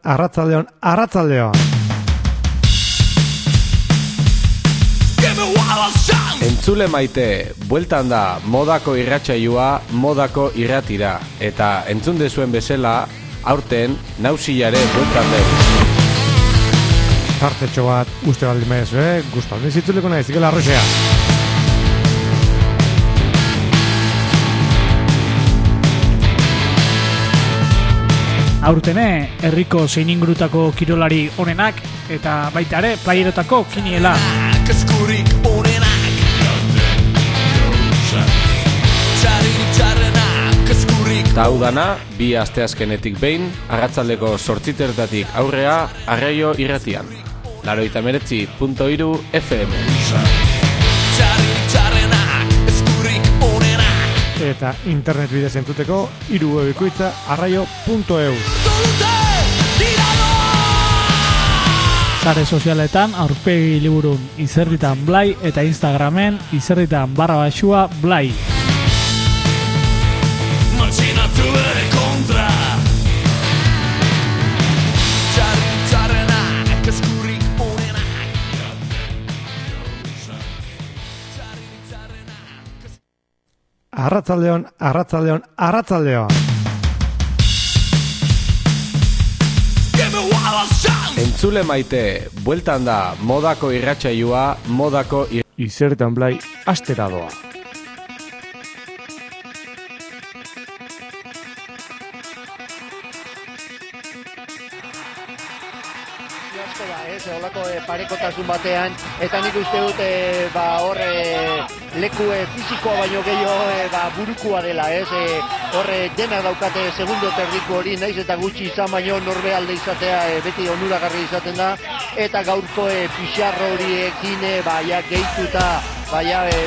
arratsaldeon. Entzule maite, bueltan da modako irratsaioa, modako irratira. Eta entzun dezuen bezala, aurten nausilare bueltan den. Tartetxo bat uste baldin bezu, guztan dizitzuleko nahi, zikela arroxea. Aurtene, herriko zein ingurutako kirolari onenak eta baita ere playerotako kiniela. Eskurik onenak txarrenak eskurik. Ta hau dana, bi asteazkenetik behin, arratsaldeko 8:00 aurrea, Arraio irratian. 89.3 FM. Txarrenak eskurik onenak. Eta internet bidez entzuteko, irubebikoitza arraio.eu. Sare sozialetan aurpegi liburun izerritan blai eta Instagramen izerritan _blai. Matxinatu bere kontra. Txarrenak eskurik onenak. Arratsaldeon. Entzule maite, bueltan da modako irratsaioa, modako Izerritan blai astera doa. Olako parekotasun batean, eta nik uste dut leku fisikoa baino gehiago burukua dela, horre dena daukate segundo terdiko hori, naiz eta gutxi izan baino norbe alde izatea beti onuragarri izaten da, eta gaurko pixarro horiekin gehituta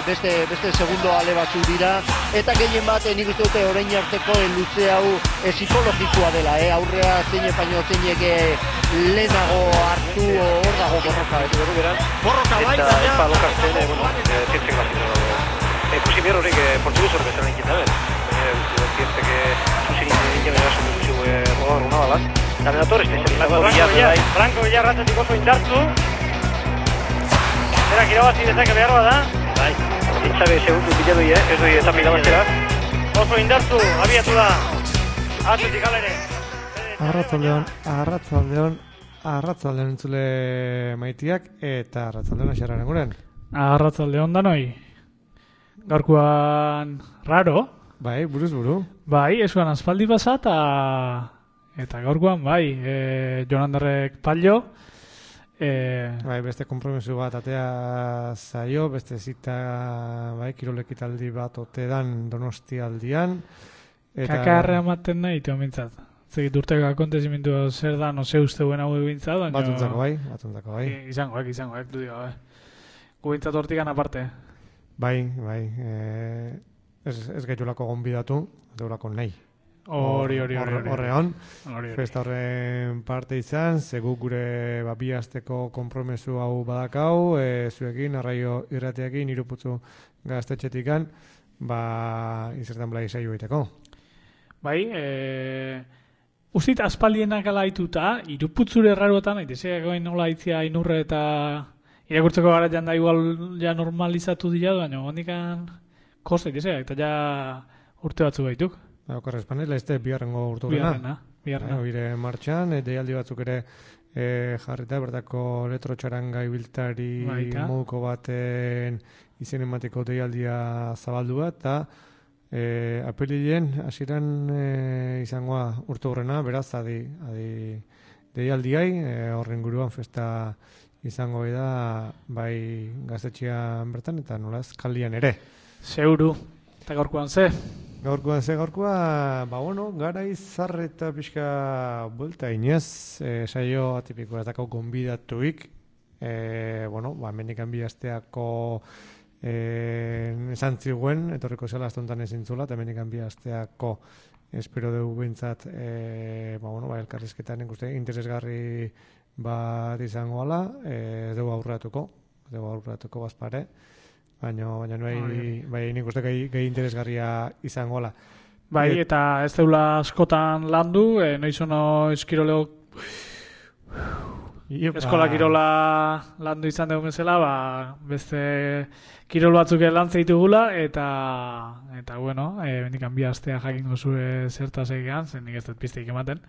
beste segundo ale batzuk dira, eta gehien bat nik uste dute orain arteko luze hau psikologikoa dela, aurrea zein baino zeinek lehenago hartu hor dago borroka. Borroka bai, eta epa lokartzen, zientzek bazito dago. Ikusi behar horrek portuguz horrek bezala inkita ben. Zientzek zuzin egin erasun dugu rogar una balaz. Eta menator espezial. Franco Villarratzetik oso indartzu. Zerak irabazi dezake behar bada. Bai, zintzabe segundu bilatu ez doi eta milabaztera. Oso indartzu, abiatu da. Atletik alere. Arratsaldeon entzule maitiak eta arratsaldeon axarraren guren. Arratsaldeon danoi. Gaurkoan raro. Bai, buruz buru. Bai, esuan aspaldi pasa eta gaurkoan bai, Jonanderrek pallo. Bai, beste konpromiso bat atea zaio, beste zita kirolekitaldi bat otedan Donostialdian. Kakarra ematen nahi, teo mintzat. Zegit urteko akontezimentu zer da, no se usteuen hau egintzat. Batuntzako bai. Izangoak, du digo. Gubintzat hortikan aparte. Bai. Ez gaiolako gonbidatu, deurako nahi. Horreon. Festa horren parte izan, zegu gure bi asteko konpromesu hau badakau, zuekin, Arraio irratiakin, iruputzu gaztetxetikan, izertan blai saio egiteko. Bai, uzit aspaldienak ala haituta, iruputzure erraruetan, aitezeakoin nola haitzia inurre eta irakurtzeko gara janda igual ja normalizatu dira, baina hondikan kosta aitezea, eta ja urte batzu gaituk. Okarrez panela, ez biharrengo urtu gana. Biharrena. Bire martxan, deialdi batzuk ere jarrita, bertako elektrotxaranga ibiltari moduko baten izen emateko deialdia zabaldu bat, eta apirilen hasieran izangoa urte horrena, beraz, adi deialdiai, horren guruan festa izango da, bai gaztetxean bertan, eta nolaz, kaldian ere. Zeuru, eta gaurkoan ze? Gaurkoa, gara izar eta pixka buelta inez, saio atipikoa ez dakau gonbidatuik, mendikan bi asteako esan ziguen, etorriko zela astontan ezin zula, eta mendikan bi asteako espero dugu bintzat, elkarrizketan ikuste interesgarri bat izango ala, ez dugu aurratuko bazpare, baina nik uste gehi interesgarria izango ala. Bai, eta ez deula askotan landu, noiz ono eskiroleo Eskola kirola landu izan dugu bezala, beste kirol batzuk lantzen ditugula, eta bueno, bendikan bi astea jakingo zue zertaz egean, zen nik ez dut pizteik ematen.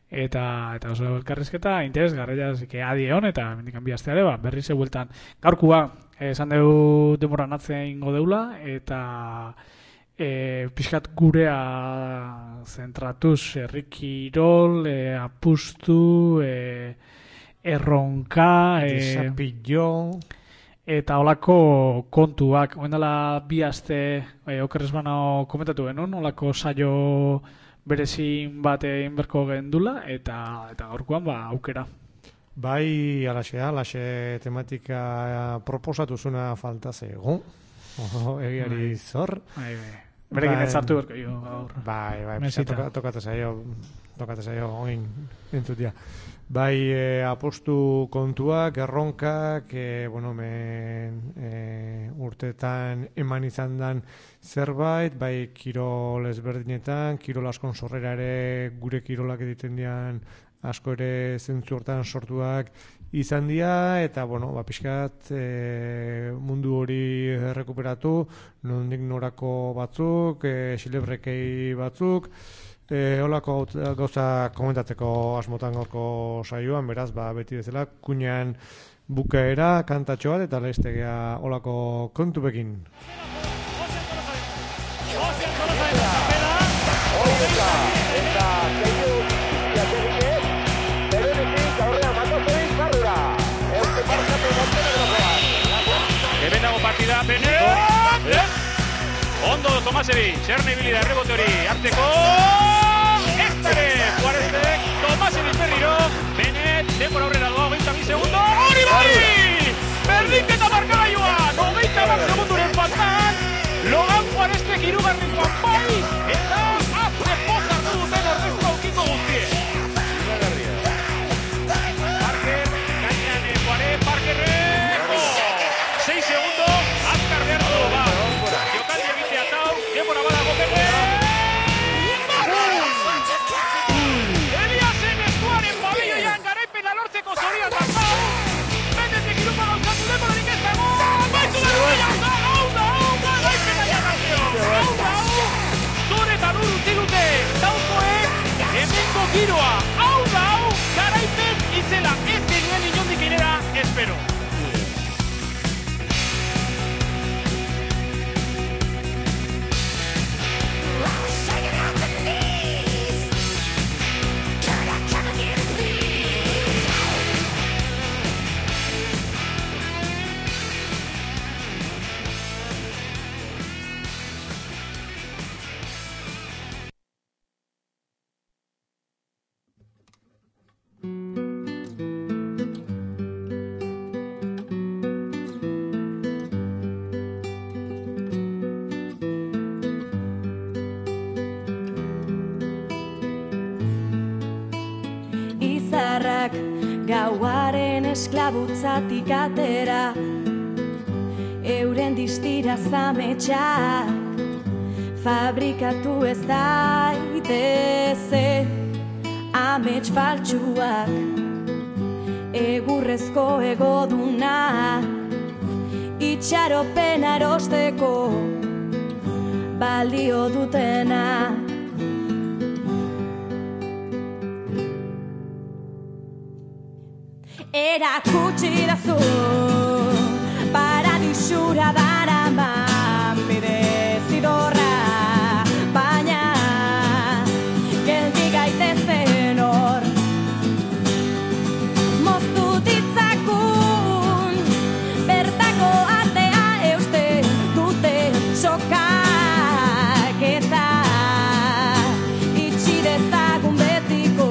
Eta oso elkarrizketa interesgarria adi egon, eta bendikan bi asteare, berriz bueltan. Gaurkua, esan dugu denbora natzea ingo deula, eta pixkat gurea zentratuz, herri kirol, apustu, erronka, desapillo, eta holako kontuak. Oen dela bi aste, okerrez bana komentatu genuen, holako saio berezin bat egin berko gendula, eta gaurkoan aukera. Bai, alaxe tematika proposatu zuna falta zego. Egiari zor. Berekin ez hartu berko jo gaur. Bai, tokatu zaio, oin entzutia. Bai, apostu kontuak, erronkak, urteetan eman izan dan zerbait, bai kirol ezberdinetan, kirol askon sorrera ere gure kirolak egiten dian asko ere zentzu hortan sortuak izan dira, eta pixkat mundu hori errekuperatu, nondik norako batzuk, xilebrekei batzuk, holako gauza komentatzeko asmotan gaurko saioan, beraz, beti bezala, kuinean bukaera, kantatxo bat, eta leiztegea holako kontupekin. Hemen dago partida, ondo Tomasevi, txerne ibili da errebote hori, arteko eztare, Juarezek, Tomasevi berriro, Benet, denbora aurrera doa, 20 segundo, hori bai! Berdinketa markagailua, 90 segunduren faltan, Logan Juarezek hirugarren bai, eta azte pozartu duten ordezko aukiko guztie. Parker, gainean Juarez, Parkerrek, 6 segundo, azkar behar du, jokaldi egitea tau, denbora badago Pepe! Eliasen estuaren pabelloian garaipena lortzeko zorian tau, Benetik irupa gauzatu denborarik ez dago, baitu da, garaipena janazio, zure eta nur utzi dute, taukoek, hemengo giroa, garaipen itzela, ez genuen inondik inera, espero. Gauaren esklabutzatik atera, euren distira zametxak, fabrikatu ez daiteze, amets faltsuak, egurrezko egoduna, itxaropen arosteko, balio dutena. Erakutsi dazu, paradisura daraman bide zidorra, baina geldi gaitezen hor. Moztu ditzakun, bertako atea euste dute sokak eta itxi dezagun betiko.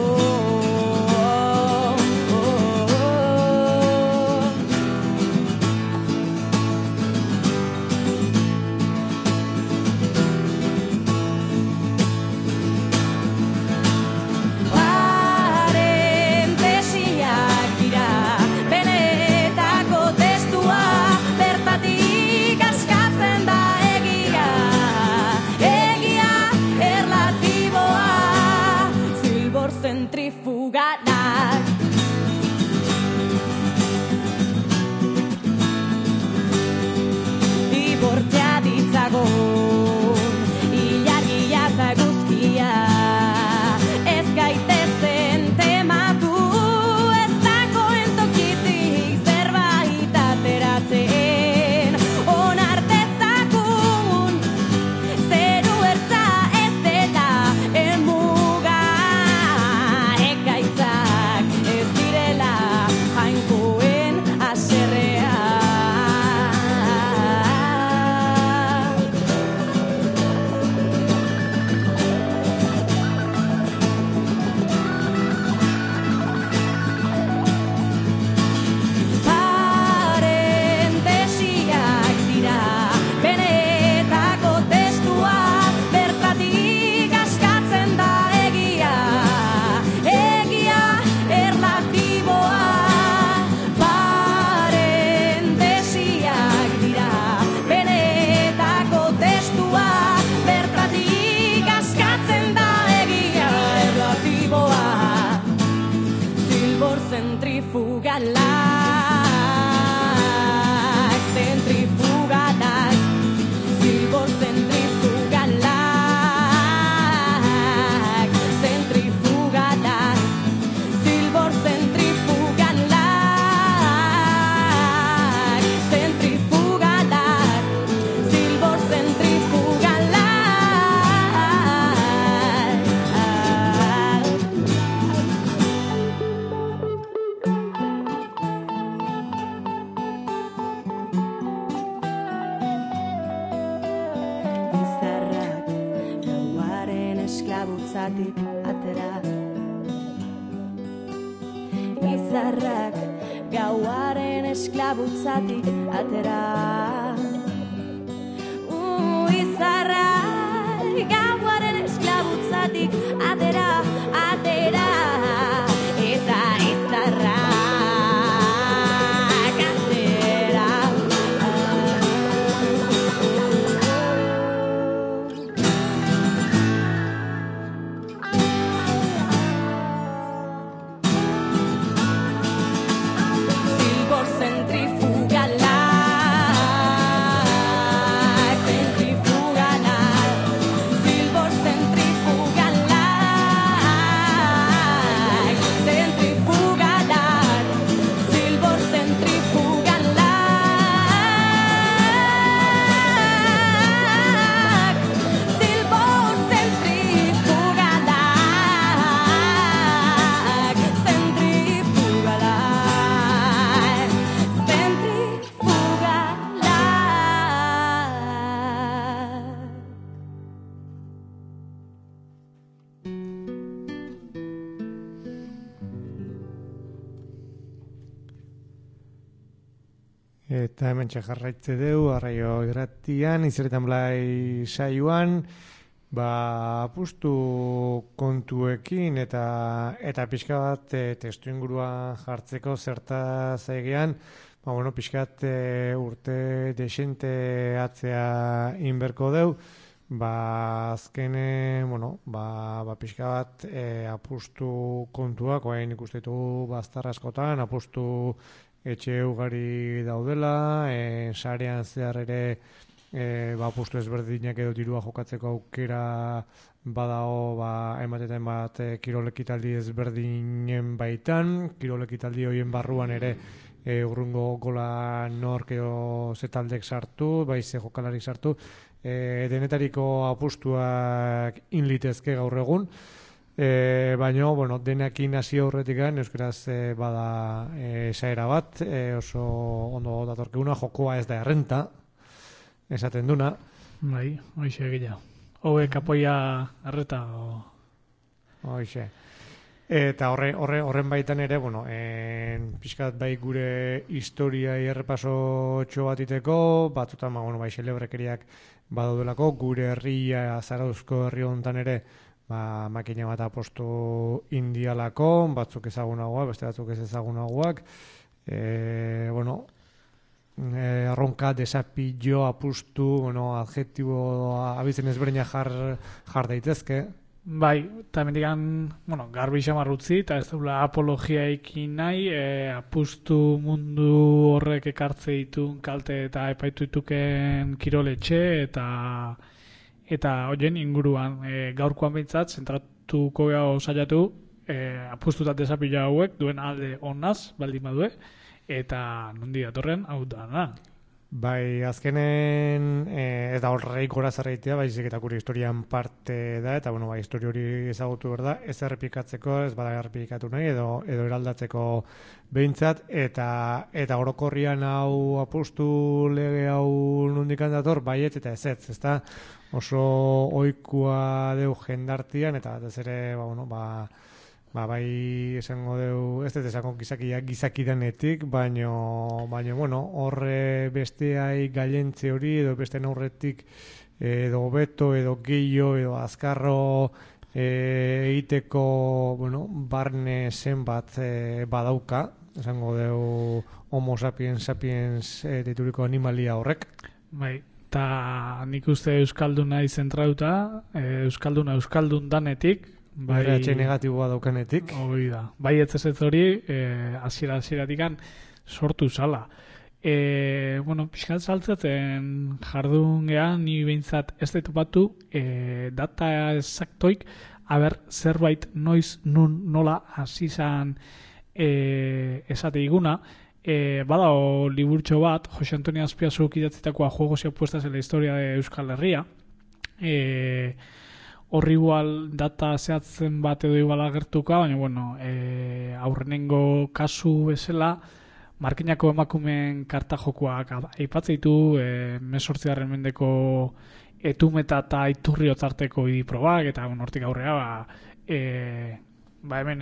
esklabutzatik atera. Izarrak gauaren esklabutzatik atera. Izarrak gauaren esklabutzatik atera, atera. Eta izarrak atera. Zilbor zentrifugala, zentrifugala, zilbor zentrifugala, zentrifugala, zilbor zentrifugala, zilbor zentrifugala, zentrifugala. Eta hemen jarraitze deu, arraio irratian, Izeretan Blai saioan, apustu kontuekin eta pixka bat testu ingurua jartzeko zertaz egean, pixka bat urte desente atzea inberko deu, azkene, pixka bat apustu kontuak, oain ikustetu baztar askotan, apustu etxe ugari daudela, sarean zehar ere apustu ezberdinak edo dirua jokatzeko aukera badao ematetan bat kirolekitaldi ezberdinen baitan, kirolekitaldi horien barruan ere urrungo gola nork edo zetaldek sartu, ze jokalarik sartu, denetariko apustuak inlitezke gaur egun, baina, denekin hasi aurretik euskaraz bada esaera bat, oso ondo datorkeuna, jokoa ez da errenta, esaten duna. Bai, hoxe egia. Hauek apoia erreta. Hoxe. Eta horren baitan ere, pixkat bai gure historia errepaso bat iteko, batzutan, xelebrekeriak badaudelako, gure herria, Zarauzko herri hontan ere, makina bat apostu indialako, batzuk ezagunagoak, beste batzuk ez ezagunagoak, arronka, desapillo, apustu, adjektibo abizen ezberdina jar daitezke. Bai, eta mendigan, garbi xamar utzi, eta ez dula apologiaikin nahi, apustu mundu horrek ekartze ditun kalte eta epaitu dituken kiroletxe, eta horien inguruan gaurkoan behintzat, zentratuko gau saiatu, apustutat desapila hauek duen alde onaz, baldin badue, eta nondi datorren hau da. Bai, azkenen ez da horreik gora zerreitea, baizik eta gure historian parte da, eta histori hori ezagutu behar da, ez errepikatzeko, ez bada errepikatu nahi, edo eraldatzeko behintzat, eta orokorrian hau apustu lege hau nondikan dator, baiet eta ez da oso ohikoa deu jendartian, eta ez ere, bai esango deu, ez dut esango gizakidanetik, baina horre besteai gailentze hori, edo beste aurretik edo beto, edo gehiago, edo azkarro egiteko, barne zenbat badauka, esango deu homo sapiens dituriko animalia horrek. Bai, eta nik uste euskalduna izentrauta, euskaldun danetik, Bai, negatiboa daukanetik. Hori da. Bai, ez hori, hasiera-hasieratik sortu zala. Pixkat saltzaten jardun gehan, ni behintzat ez dut batu, data exactoik, zerbait noiz nola hasi zan esate iguna, badao liburtxo bat, Jose Antonio Azpiazuk idatzitakoa Juegos y Apuestas en la Historia de Euskal Herria, horri igual data zehatzen bat edo igual agertuka, baina, aurrenengo kasu bezala, Markinako emakumeen karta jokoak aipatzen ditu, 18. mendeko Etumeta eta Iturri otzarteko idiprobak, eta hortik aurrea, hemen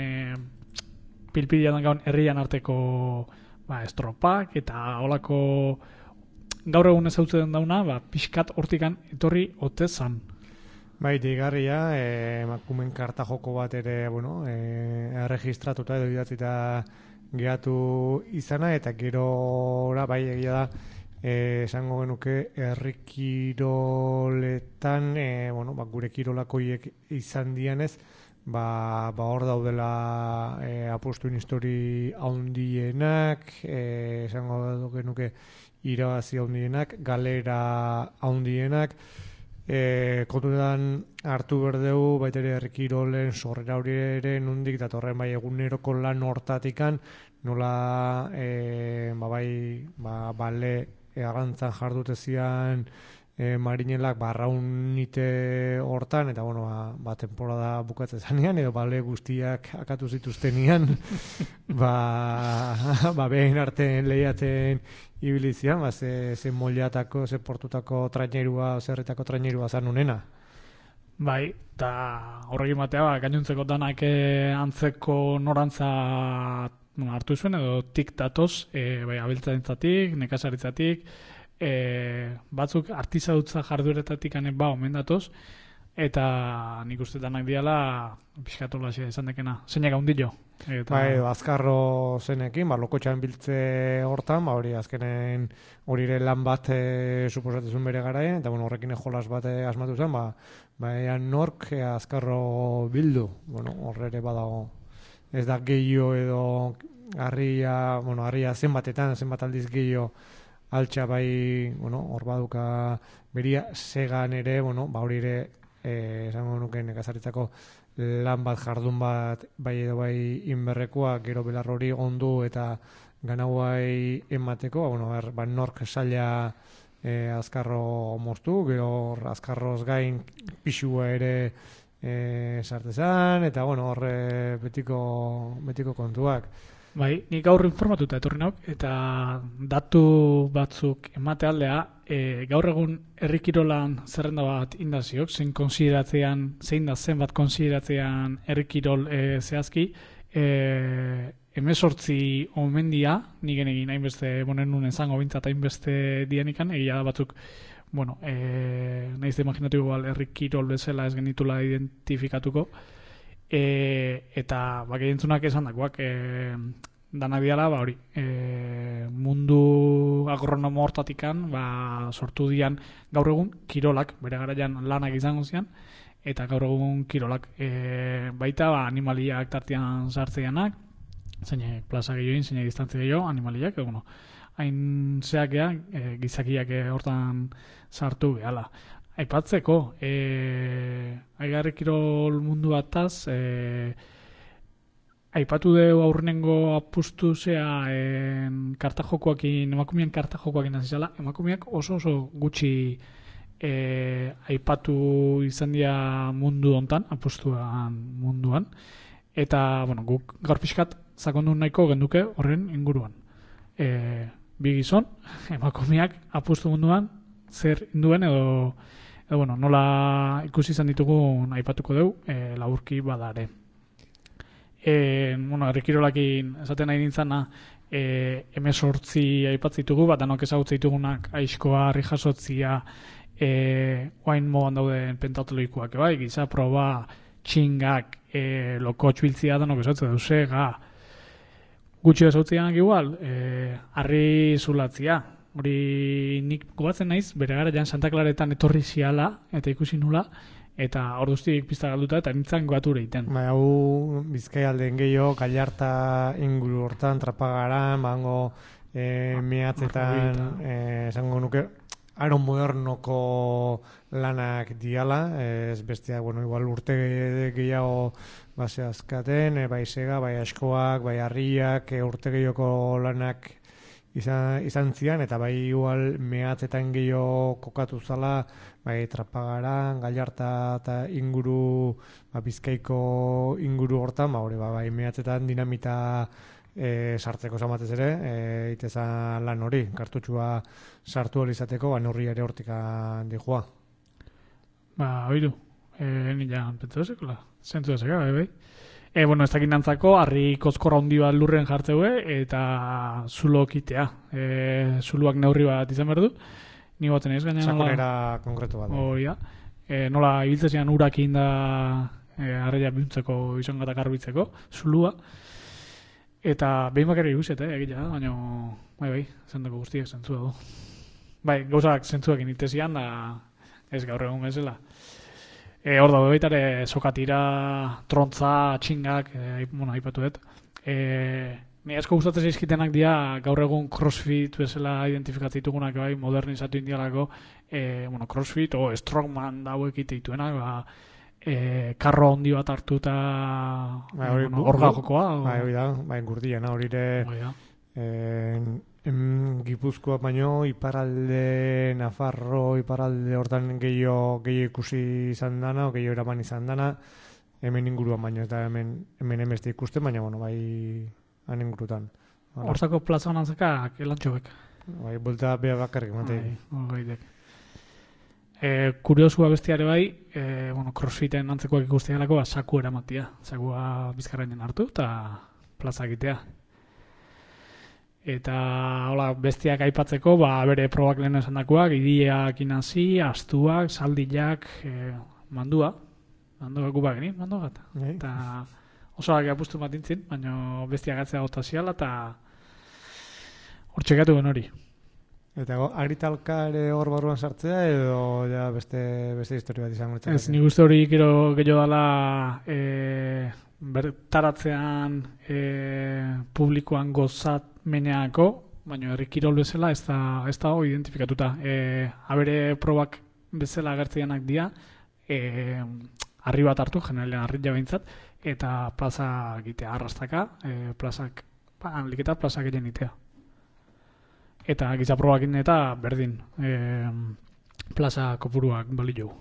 pilpidian gaun herrian arteko estropak, eta holako gaur egun ezautzen dauna, pixkat hortikan etorri ote zan. Bai, digarria, emakumen karta joko bat ere, erregistratuta edo idatzita geratu izana, eta gerora, bai, egia da, esango genuke herri kiroletan, gure kirolakoiek izan dianez, hor daudela apostuin histori haundienak, esango genuke irabazi haundienak, galera haundienak, kontutan hartu berdeu baitere herri kirolen sorrera hori ere nondik datorren bai eguneroko lan hortatikan nola bale agantzan jardute zian marinelak barraunite hortan eta temporada bukatzen zanean edo bale guztiak akatu zituztenian behen artean lehiatzen ibilizian, ze moliatako, ze portutako trainerua, zerretako trainerua zan unena. Bai, eta horrekin batea, gainontzeko danak antzeko norantza hartu zuen, edo tik datoz, abiltzaintzatik, nekazaritzatik, batzuk artizadutza jardueretatik omen datoz, eta nik uste danak diala pixkatola izan dekena. Zeinak haundillo? Azkarro zenekin, lokotxan biltze hortan, hori azkenen hori ere lan bat suposatezun bere garaien, eta horrekin jolas bat asmatu zen, nork azkarro bildu, horre ere badago. Ez da gehiago edo harria zenbat aldiz gehiago altxa hor baduka beria segan ere, hori ere esango nuke nekazaritzako lan bat jardun bat bai edo bai inberrekoa gero belar hori ondu eta ganauai emateko, nork saila azkarro moztu, gero azkarroz gain pixua ere sartezan, eta horre betiko kontuak. Bai, nik gaur informatuta etorri nauk, eta datu batzuk emate aldea, gaur egun herri kirolan zerrenda bat indaziok, zein da zenbat konsideratzean herri kirol zehazki, 18 omendia, nik egin hainbeste bonen nun ezango bintzat hainbeste dianikan, egia da batzuk, nahiz da imaginatu igual herri kirol bezala ez genitula identifikatuko, eta gehientzunak esan dakoak danak diala hori mundu agronomo hortatikan sortu dian gaur egun kirolak bere garaian lanak izango zian eta gaur egun kirolak baita animaliak tartean sartzeanak zeinek plaza gehioin, zeinek distantzia gehiago animaliak, hain zeakea gizakiak hortan sartu behala. Aipatzeko, aigarri kirol mundu bataz, aipatu deu aurrenengo apustu emakumeen karta jokoakin azizala, emakumeak oso gutxi aipatu izan dira mundu hontan, apustuan munduan, eta guk gaur pixkat sakondu nahiko genduke horren inguruan. Bi gizon, emakumeak apustu munduan, zer induen edo nola ikusi izan ditugun aipatuko deu, laburki badare. Herri kirolakin esaten nahi nintzana, 18 aipatzitugu, danok ezagutza ditugunak aizkoa, harri jasotzia, oain modan dauden pentatoloikoak, giza proba, txingak, lokotx biltzia danok ezagutza deusega, gutxi ezautzianak igual, harri zulatzia. Hori nik gobatzen naiz, bere garaian Santa Claretan etorri ziala, eta ikusi nula, eta orduztik pizta galduta, eta nintzen goature iten. Hau Bizkaialdeen gehiago, Gallarta inguru hortan, Trapagaran, mehatzetan, esango nuke, aron modernoko lanak diala, ez besteak, igual urte gehiago azkaten, bai sega, bai askoak, bai harriak, urte gehiago lanak izan zian, eta bai igual mehatzetan gehiago kokatu zala, bai Trapagaran, Gallarta eta inguru, Bizkaiko inguru hortan, bai mehatzetan dinamita sartzeko zamatez ere, itezan lan hori, kartutxua sartu hori izateko, neurri ere hortikan dijoa. Oidu. Nila pentsa ezekola. Zentu ezeka, bai. Bueno, ez dakit nantzako, harri kozkorra handi bat lurren jartzeue, eta zulo kitea. Zuluak neurri bat izan behar du. Ni baten ez gaina sakonera konkretu bat. Oia. Nola ibiltzean urak egin da harria bihuntzeko izan gata garbitzeko, zulua. Eta behin bakarri ikuset, egitea, baina bai, zendako guztiak zentzua du. Bai, gauzak zentzuak initezian, da ez gaur egun bezala. Hor dago baitare sokatira, trontza, txingak, aipatu dut. Ni asko gustatzen zaizkitenak dira gaur egun crossfit bezala identifikatzen ditugunak bai, modernizatu indialako, crossfit o strongman dauek itituenak, karro handi bat hartu eta orga jokoa. Hori da, gurdiena hori ere Gipuzkoa baino, iparalde Nafarro, iparalde hortan gehiago ikusi izan dana, o gehiago eraman izan dana, hemen inguruan baino, eta hemen emeste ikusten, baina bai han ingurutan. Hortako plaza honantzaka, elantxobek. Bai, buelta beha bakarrik, matei. Kuriosua bestiare bai, crossfiten antzekoak ikustealako saku eramatia. Sakua bizkarrainen hartu eta plaza egitea. Eta hola, bestiak aipatzeko, bere probak lehen esandakoak, idiak inasi, astuak, saldilak, mandua gupak geni, mandua bat. Eta osoak apustu bat intzin, baina bestiak atzea gota ziala, eta hor txekatu gen hori. Eta aritalka ere hor barruan sartzea, edo ja beste historia bat izango litzateke? Ez, nik uste hori gero dala bertaratzean publikoan gozat meneako, baina herri kirol bezala ez da hori identifikatuta. Abere probak bezala agertzeanak dira, harri bat hartu, generalean harri jabeintzat, eta plaza egitea arrastaka, plazak egin itea. Eta giza probakin eta berdin plaza kopuruak balio.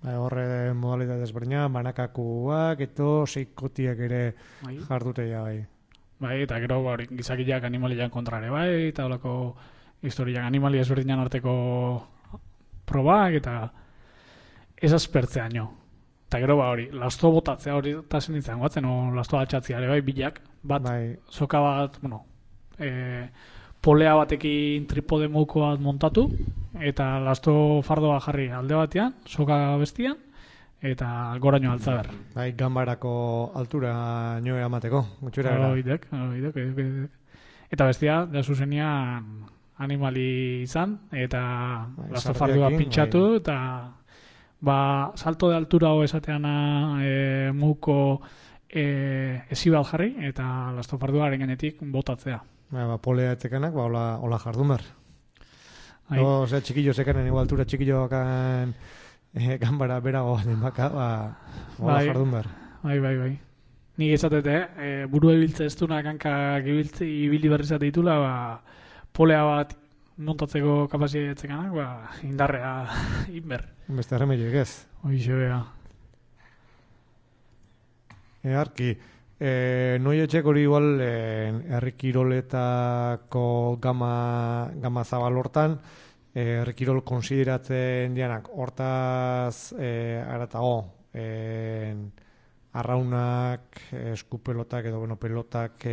Horre modalitate desberdina, banakakuak, eto seikotiak ere jardutea bai. Bai, eta gero gizakiak animaliak kontrare bai, eta holako historiak animali ezberdinan arteko probak, eta ez aspertzeaino. Eta gero lasto botatzea hori eta zen nintzen guatzen, lasto atxatzea ere bai, bilak, bat, soka bat, polea batekin tripode mouko bat montatu, eta lasto fardoa jarri alde batean, soka bestian, eta goraino altza ber. Bai, ganbarako altura nioe amateko, gutxura gara. Oidek. Eta bestia, da zuzenian animali izan, eta lasto fardua pintxatu, eta salto de altura ho esateana mouko ezi bat jarri, eta lasto fardua ganetik botatzea. Polea etzekanak, hola jardun behar. Osea, txikillo zekanen, altura txikillo bakan ganbara berago den baka, hola jardun behar. Bai. Nik esatete, buru ebiltze ez dunak hankak ibili berri zate ditula, polea bat montatzeko kapazia etzekanak, indarrea inber. Beste arremeioek ez. Hoixe bea. Arki, noi etxek hori igual herri kiroletako gama zabal hortan, herri kirol konsideratzen dianak hortaz aratago arraunak, eskupelotak edo pelotak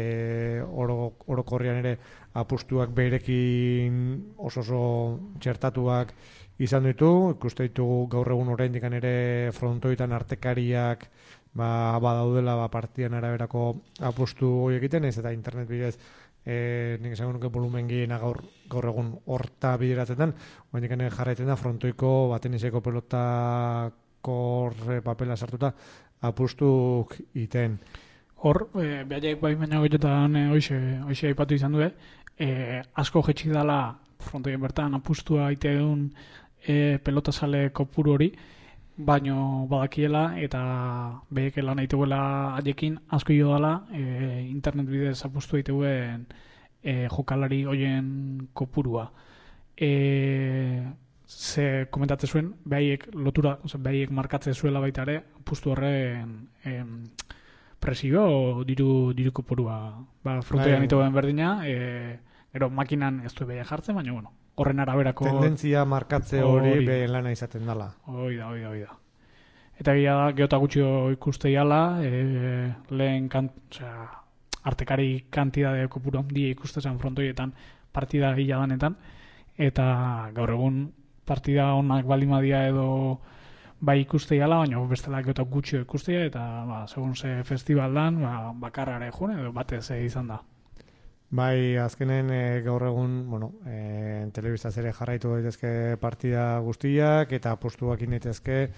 orokorrian ere apustuak berekin oso txertatuak izan ditu, ikuste ditugu gaur egun oraindik ere frontoitan artekariak badaudela partidan araberako apustu hori egiten, ez eta internet bidez nik esango nuke volumen gehiena gaur egun horta bideratzen, oraindik jarraitzen da frontoiko bateniseko pelotako papela sartuta apustuk iten. Hor, behaiek bai baina goitetan hoxe aipatu izan du, asko jetxik dala frontoien bertan apustua aite egun pelota sale kopuru hori, baino badakiela eta behek lan aiteguela haiekin asko jo dala internet bidez apustu aiteguen jokalari hoien kopurua. Ze komentatzen zuen, behaiek lotura, behaiek markatzen zuela baita ere, apustu horren presio o diru kopurua. Frontoian aiteguen berdina, gero makinan ez du behia jartzen, baina horren araberako tendentzia markatze hori behen lana izaten dela. Hoi da. Eta gila da, geota gutxio ikuste jala, lehen artekari kantidade kopuru handia ikustezen frontoietan partida gila danetan, eta gaur egun partida onak balimadia edo bai ikuste jala, baina bestela geota gutxio ikustea, eta segun ze festivaldan, bakarrare june edo batez izan da. Bai, azkenen gaur egun, telebistaz ere jarraitu daitezke partida guztiak eta apostuak inetezke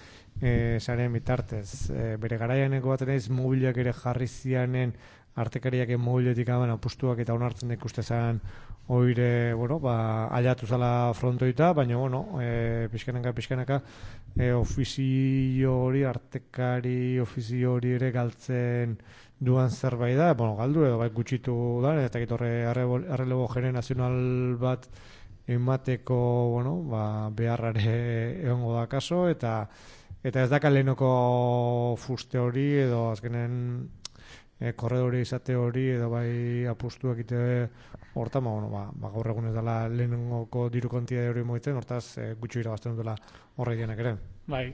saren bitartez. Bere garaianeko bat naiz mobilak ere jarri zianen artekariak mobiletik aban apostuak eta onartzen ikustezan oire, aliatu zala frontoita, baina, pixkanaka, ofizio hori, artekari ofizio hori ere galtzen duan zerbait da, galdu edo gutxitu da, eta gitorre arrelebo generazional bat emateko, beharrare egongo da kaso, eta ez daka lehenoko fuste hori, edo azkenen korredore izate hori, edo bai apustuak ite hortan, gaur egun ez dela lehenengoko diru kontia hori moitzen, hortaz gutxi irabazten dutela horreidenak ere. Bai,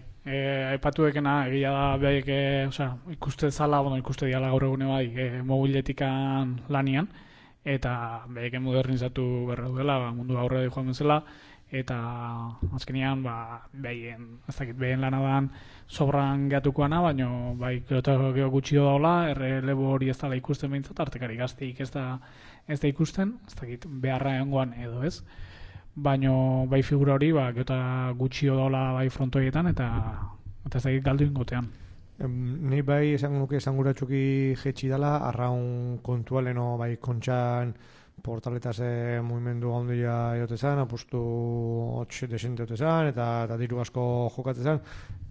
aipatu ekena, egia da behaiek, ikuste zala, ikuste diala gaur egune bai, mobiletikan lanian, eta behaiek modernizatu berra dela, mundu aurre joan bezala, eta azkenean, behien lana dan sobran gehatukoana, baina bai, geho gutxio daula, errelebo hori ez dala ikusten behintzat, artekari gazteik ez da ikusten, ez dakit beharra egongoan edo ez, baina bai figura hori geota gutxio daula bai frontoietan eta ez dakit galdu ingotean. Ni bai esango nuke esanguratxuki jetxi dela, arraun kontualeno bai kontxan portaletaz mugimendu handia eotezan, apustu 8 desente eotezan eta diru asko jokatzezan,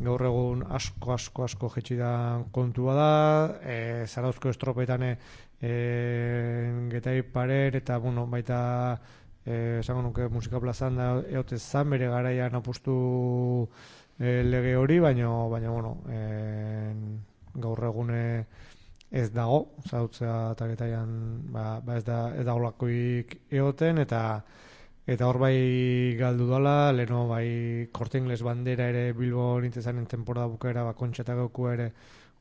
gaur egun asko jetxi da kontua da, Zarauzko estropetan getai parer eta baita esango nuke musika plazan da eotezan, bere garaian apustu lege hori, baina gaur egune ez dago, zautzea eta getaian ez da olakoik egoten, eta hor bai galdu dala, leheno bai Korte Ingles bandera ere Bilbo nintzezanen temporada bukaera kontxa gauku ere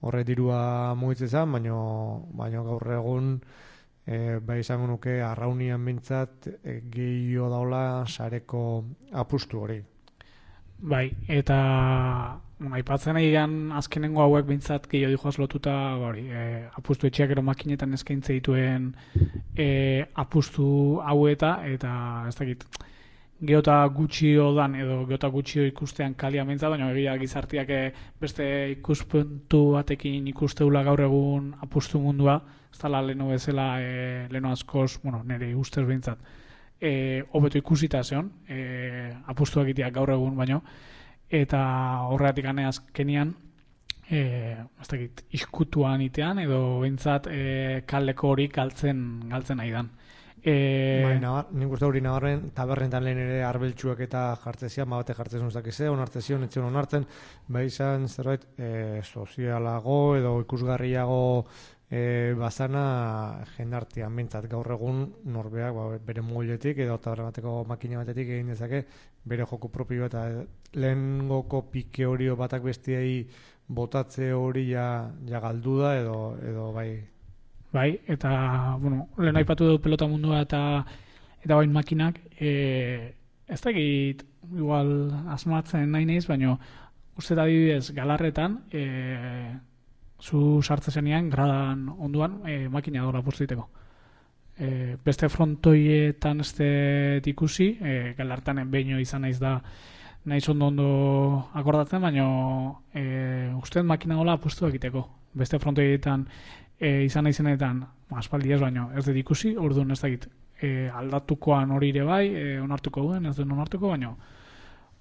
horre dirua mugitzezan, baina gaur egun bai izango nuke arraunian bintzat gehiago daula sareko apustu hori. Bai, eta aipatzen egian azkenengo hauek bintzat gehiago dijoaz lotuta apustu etxeak ero makinetan eskaintze dituen apustu haueta, eta ez dakit geota gutxio dan edo geota gutxio ikustean kalia bintzat, baina egia gizartiak beste ikuspuntu batekin ikusteula gaur egun apustu mundua, ez dala leheno bezala, leheno askoz, nire ustez bintzat, hobeto ikusita zeon, apustuak iteak gaur egun baino, eta horregatik azkenian, ez dakit, iskutuan itean, edo bintzat kaldeko hori galtzen nahi dan. Nik uste hori nabarren, taberrentan lehen ere arbeltsuak eta jartzezian, bate jartzen uzakize, onartzezion, etzion onartzen, izan zerbait sozialago edo ikusgarriago bazana jendartian bintzat gaur egun norbeak bere mobiletik edo tabernabateko makina batetik egin dezake bere joko propio eta lehengoko pike hori batak bestiei botatze hori ja galdu da edo bai. Bai, eta, lehen aipatu dugu pelota mundua eta bain makinak, ez dakit, igual asmatzen nahi naiz, baina uste da adibidez galarretan, zu sartze zenean, gradan onduan, makina dola puztiteko. Beste frontoietan ez ikusi, galartan behin izan naiz da, naiz ondo akordatzen, baina usteet makina dola apustu egiteko. Beste frontoietan izan naizenetan, aspaldi ez baino, ez dut ikusi, orduan ez dakit, aldatukoan hori ere bai, onartuko duen, ez duen onartuko,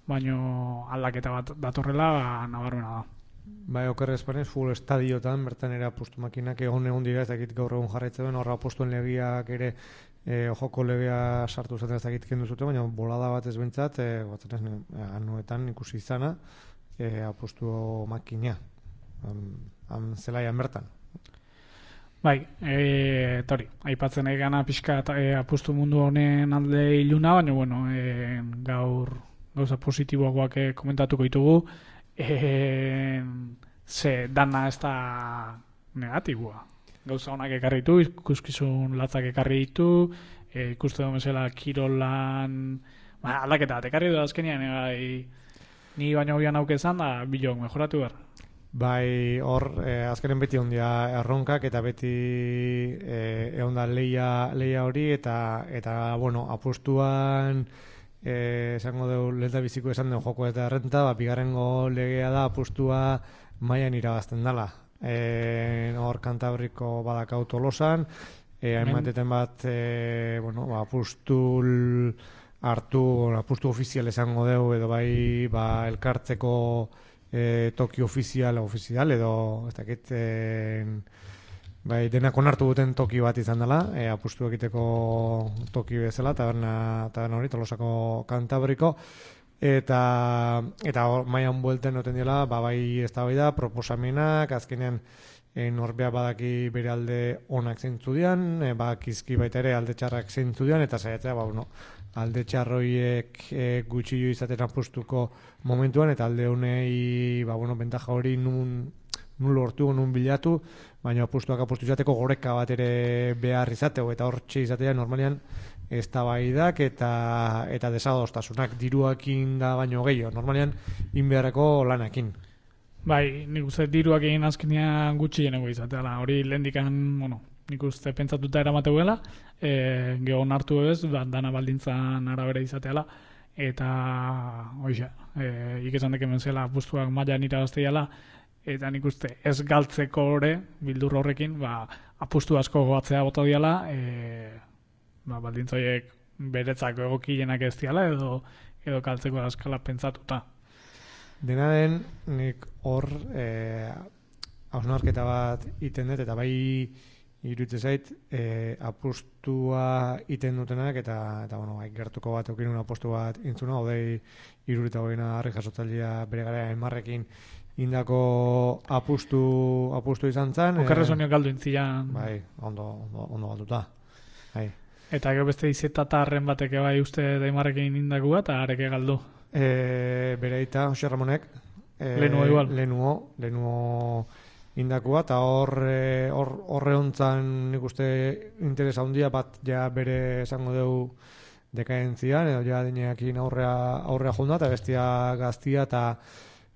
baino aldaketa bat datorrela nabarmena da. Bai, okerrez panez, full estadiotan, bertan ere apustu makinak egon dira, ez dakit gaur egun jarraitzen duen, horra apustuen legiak ere, joko legea sartu zaten ez dakit kendu zuten, baina bolada bat ez bentsat, anuetan ikusi izana, apustu makina, zelaian bertan. Bai, tori, aipatzen egana pixka apustu mundu honen alde iluna, baina, bueno, gaur gauza positiboagoak komentatuko ditugu, ze dana ez da negatiboa. Gauza honak ekarri ditu, ikuskizun latzak ekarri ditu, ikuste duen bezala kirolan, aldaketa bat ekarri du azkenean, ni baino bian aukezan da bilok mejoratu behar. Bai, hor, azkenen beti ondia erronkak eta beti egon da leia hori eta bueno, apustuan esango dugu lehenta biziko esan dugu joko eta errenta, bigarrengo legea da apustua mailan irabazten dela. Hor Kantabriko badakau Tolosan, hainbateten bat bueno, apustu ofizial esango dugu edo bai elkartzeko toki ofizial edo ez dakit bai denak onartu duten toki bat izan dela, apustu egiteko toki bezala, taberna hori Tolosako Kantabriko eta mailan buelten noten dela, bai eztabaida proposamenak, azkenean norbea badaki bere alde onak zeintzu dian, badakizki baita ere alde txarrak zeintzu dian, eta saiatzea, alde txarroiek gutxillo izaten apustuko momentuan, eta alde honei bentaja hori nun lortu, nun bilatu, baina apustu izateko goreka bat ere behar izateko, eta hortxe izatea normalian eztabaidak eta desadostasunak diruakin da baino gehiago, normalian inbeharreko lanakin. Bai, nik uste diruak egin azkenean gutxienego izateala, hori lehendikan, bueno, nik uste pentsatuta eramateuela, geho onartu ez, dana baldintzan arabera izateala, eta hoxe, ikesan deken benzela apustuak mailan irabazteiala, eta nik uste ez galtzeko ore, bildur horrekin, apustu asko goatzea bota diala, baldintzoiek beretzako egokienak ez diala, edo galtzeko askala pentsatuta. Dena den, nik hor hausnarketa bat iten dut, eta bai iruditzen zait apustua iten dutenak, eta bueno, gertuko bat eukinun apustu bat intzuna, odei 75 harri jasotzailea bere gara emarrekin indako apustu izan zen. Okerrezonio galdu intzian. Bai, ondo galduta. Bai. Eta gero beste izetatarren bateke bai uste daimarrekin indako bat, eta areke galdu. Bere eta Jose Ramonek Lenuo indakua, eta horre hontzan nik uste interesa handia bat ja bere esango dugu dekadentzian, edo ja dineakin aurrea jonda, eta bestia gaztia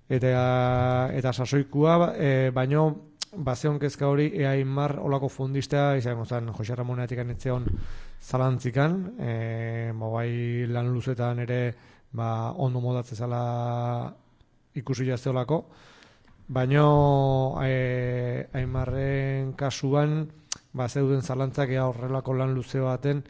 eta sasoikua, baino bazeon kezka hori Aimar olako fundistea izango zen Jose Ramonetik anetzeon zalantzikan, bai lan luzetan ere ondo modatze zala ikusi jazteolako, baina Aimarren kasuan zeuden zalantzak horrelako lan luze baten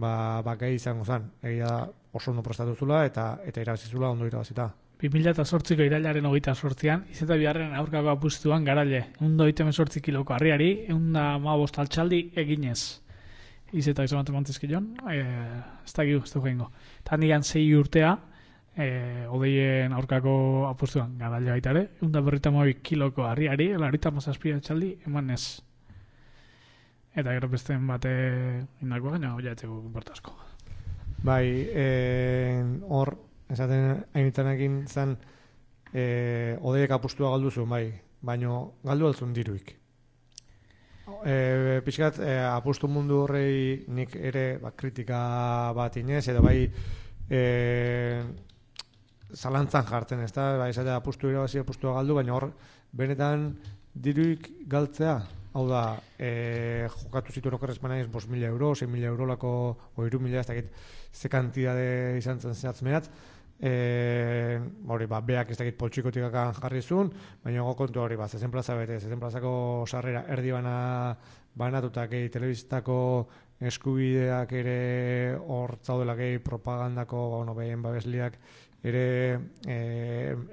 gai izango zen, egia oso ondo prestatu zula eta irabazizula ondo irabazita. 2008ko irailaren 28an, izeta biharren aurkako apustuan garaile, 128 kiloko harriari, 115 altxaldi eginez. Izeta izan mantezkion, ez da giu, ez da joingo. Eta handian 6 urtea, odeien aurkako apustuan garaile baita ere, 152 kiloko harriari, 157 altxaldi emanez. Eta gero besteen bate indako gaina, oia etzeko importasko. Bai, hor, esaten hainitzanekin zen odeiek apustua galdu zuen, bai, baina galdu altzun diruik. Pixkat, apustu mundu horrei nik ere kritika bat inez, edo bai zalantzan jartzen, ez da, bai, esatea apustu irabazi, apustua galdu, baina hor, benetan diruik galtzea, hau da, jokatu zituen okerrez manaiz 5.000 euro, 6.000 euro lako, o 3.000, ez dakit, ze kantidade izan zen zehatzmeat, beak ez dakit poltsikotik jarri zuen, baina kontu hori zezen plaza bete, zezen plazako sarrera erdi banatuta gehi telebizitako eskubideak ere hor zaudela gehi propagandako behien babesliak ere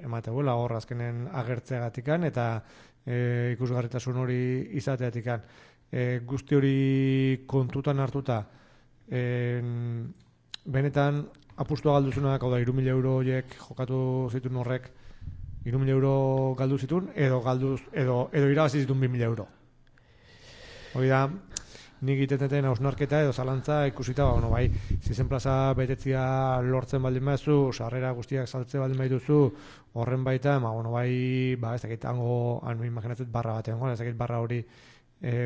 emateguela hor azkenen agertzeagatikan eta ikusgarritasun hori izateatikan. Guzti hori kontutan hartuta benetan apustua galdu zuenak, hau da, 3.000 euro horiek jokatu zituen horrek, 3.000 euro galdu zituen, edo irabazi zituen 2.000 euro. Hori da, nik itetetan hausnarketa edo zalantza ikusita, bai, zizen plaza betetzia lortzen baldin baduzu, sarrera guztiak saltze baldin baituzu, horren baita, bai, ez dakit, imaginatzet barra batean, ez dakit barra hori,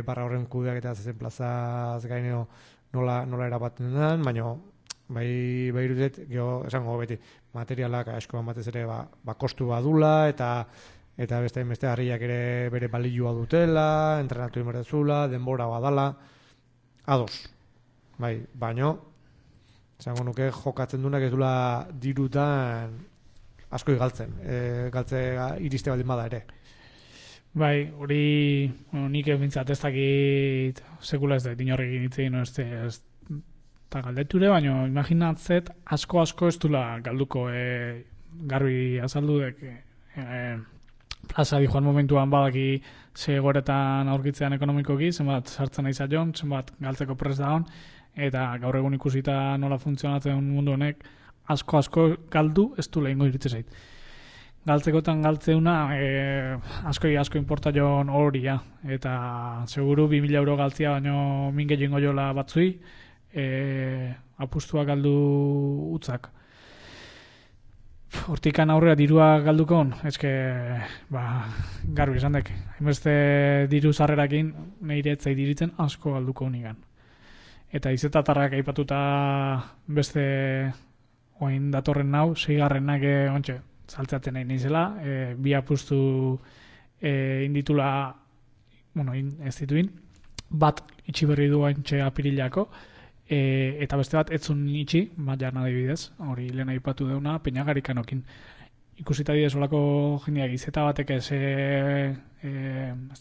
barra horren kudeak eta zizen plazaz gaineo nola erabaten den, baina bai irudit, esango beti, materialak askoan batez ere kostu badula, eta beste harriak ere bere balioa dutela, entrenatu inberdezula, denbora badala, ados. Bai, baino, esango nuke jokatzen dunak ez dula dirutan asko galtzen. Iriste baldin bada ere. Bai, hori nik bintzat ez dakit sekula ez da, inorrekin hitzein ez eta galdeture, baina imaginatzet asko ez dula galduko garbi azaldudek plaza di joan momentuan badaki ze goretan aurkitzean ekonomikoki, zenbat sartzen nahi zaion, zenbat galtzeko prest dagoen, eta gaur egun ikusita nola funtzionatzen mundu honek, asko galdu ez du lehengo iritze zait. Galtzekotan galtzeuna asko inporta joan horia, eta seguru 2.000 euro galtzia, baino minge jengo jola batzui, apustua galdu utzak. Hortikan aurrera dirua galdukon, garbi esan dek. Hainbeste diru sarrerakin nire etzai diritzen asko galduko unigan. Eta izetatarrak aipatuta beste oain datorren nau, 6garrenak ontxe, saltzatzen nahi nizela, bi apustu inditula, ez dituin, bat itxi berri du haintxe apirilako, eta beste bat etzun itxi, jan adibidez, hori lehen aipatu deuna, Peñagarikanokin. Ikusita didez olako jendeak izeta batek ez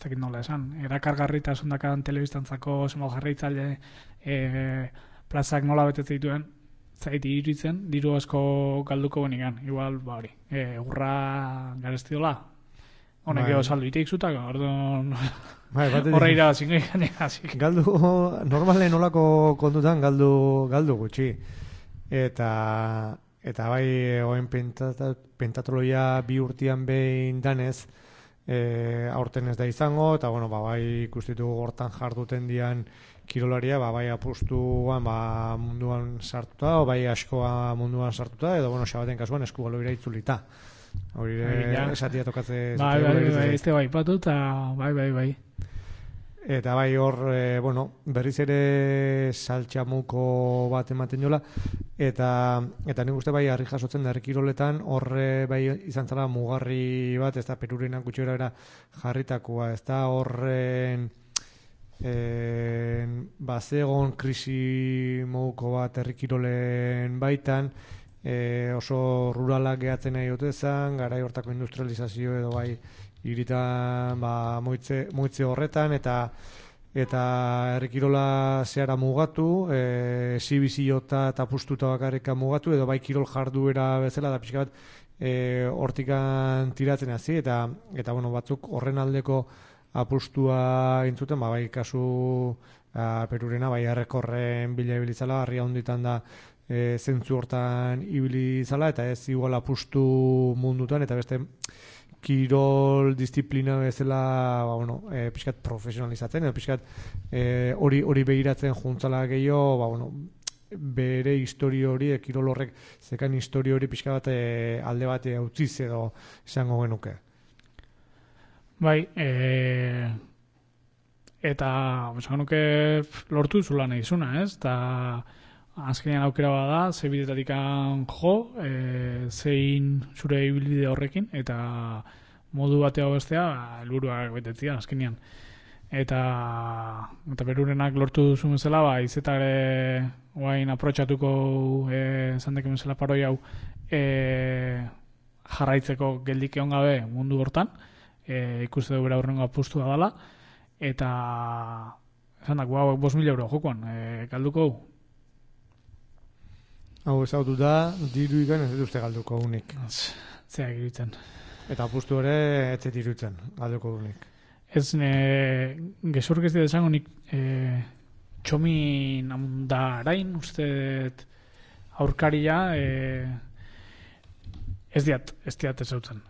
dakit nola esan, erakargarrita sondakan telebistantzako zenbat jarraitzaile plazak nola betetze dituen, zaiti iritzen, diru asko galduko benigan, igual, hori, urra garestidola, honek edo salduitik zutak, orduan horre irabazin gehianik. Galdu, normalen olako kontutan galdu gutxi. Eta bai, oen pentatologia 2 urtean behin danez, aurten ez da izango, eta bai ikustitu hortan jarduten dian kirolaria, bai apustuan munduan sartuta, o bai askoa munduan sartuta, edo xabaten kasuan eskugaloira itzulita. Hori esatia tokatze... Bai, ez bai patu, eta bai. Eta bai hor, berriz ere saltxamuko bat ematen jola, eta nik uste bai harri jasotzen da herrikiroletan, horre bai izan zala mugarri bat, ez da Perurenak gutxera era jarritakoa, ez da horren bazegon krisi moduko bat herrikirolen baitan, oso ruralak gehatzen nahi dute zen, garai hortako industrializazio edo bai iritan moitze horretan, eta herrikirola zehara mugatu, exhibiziota eta apustuta bakarrika mugatu, edo bai kirol jarduera bezala, da pixka bat hortikan tiratzen hasi, eta batzuk horren aldeko apustua intzuten, bai kasu Perurena, bai errekorren bila ibilizala, harria honditan da zentzu hortan ibilizala, eta ez igual apustu mundutan, eta beste kirol disiplina bezala pixkat profesionalizatzen, edo pixkat hori begiratzen juntzala gehiago, bere historio hori, kirol horrek zekan historio hori pixka bat alde bat utziz edo esango genuke. Bai, eta esango nuke lortu zula nahi zuna, ez? Eta azkenean aukera bada, ze bidetatikan jo, zein zure ibilbide horrekin, eta modu batea bestea, helburuak betetzia azkenean. Eta Perurenak lortu duzun bezala, izetare guain aprotxatuko zandeken bezala paroi hau jarraitzeko geldik egon gabe mundu hortan, ikuste du bera horrengo apustua dela, eta esan dako, 5.000 euro jokoan, galduko hau. Hau ezautu da, diru ikan ez dut galduko unik. Zeak iruditzen. Eta apustu ere ez iruditzen galduko unik. Ez, gezurk ez dira esango nik txomin amundarain, uste aurkaria, ez diat ezautzen.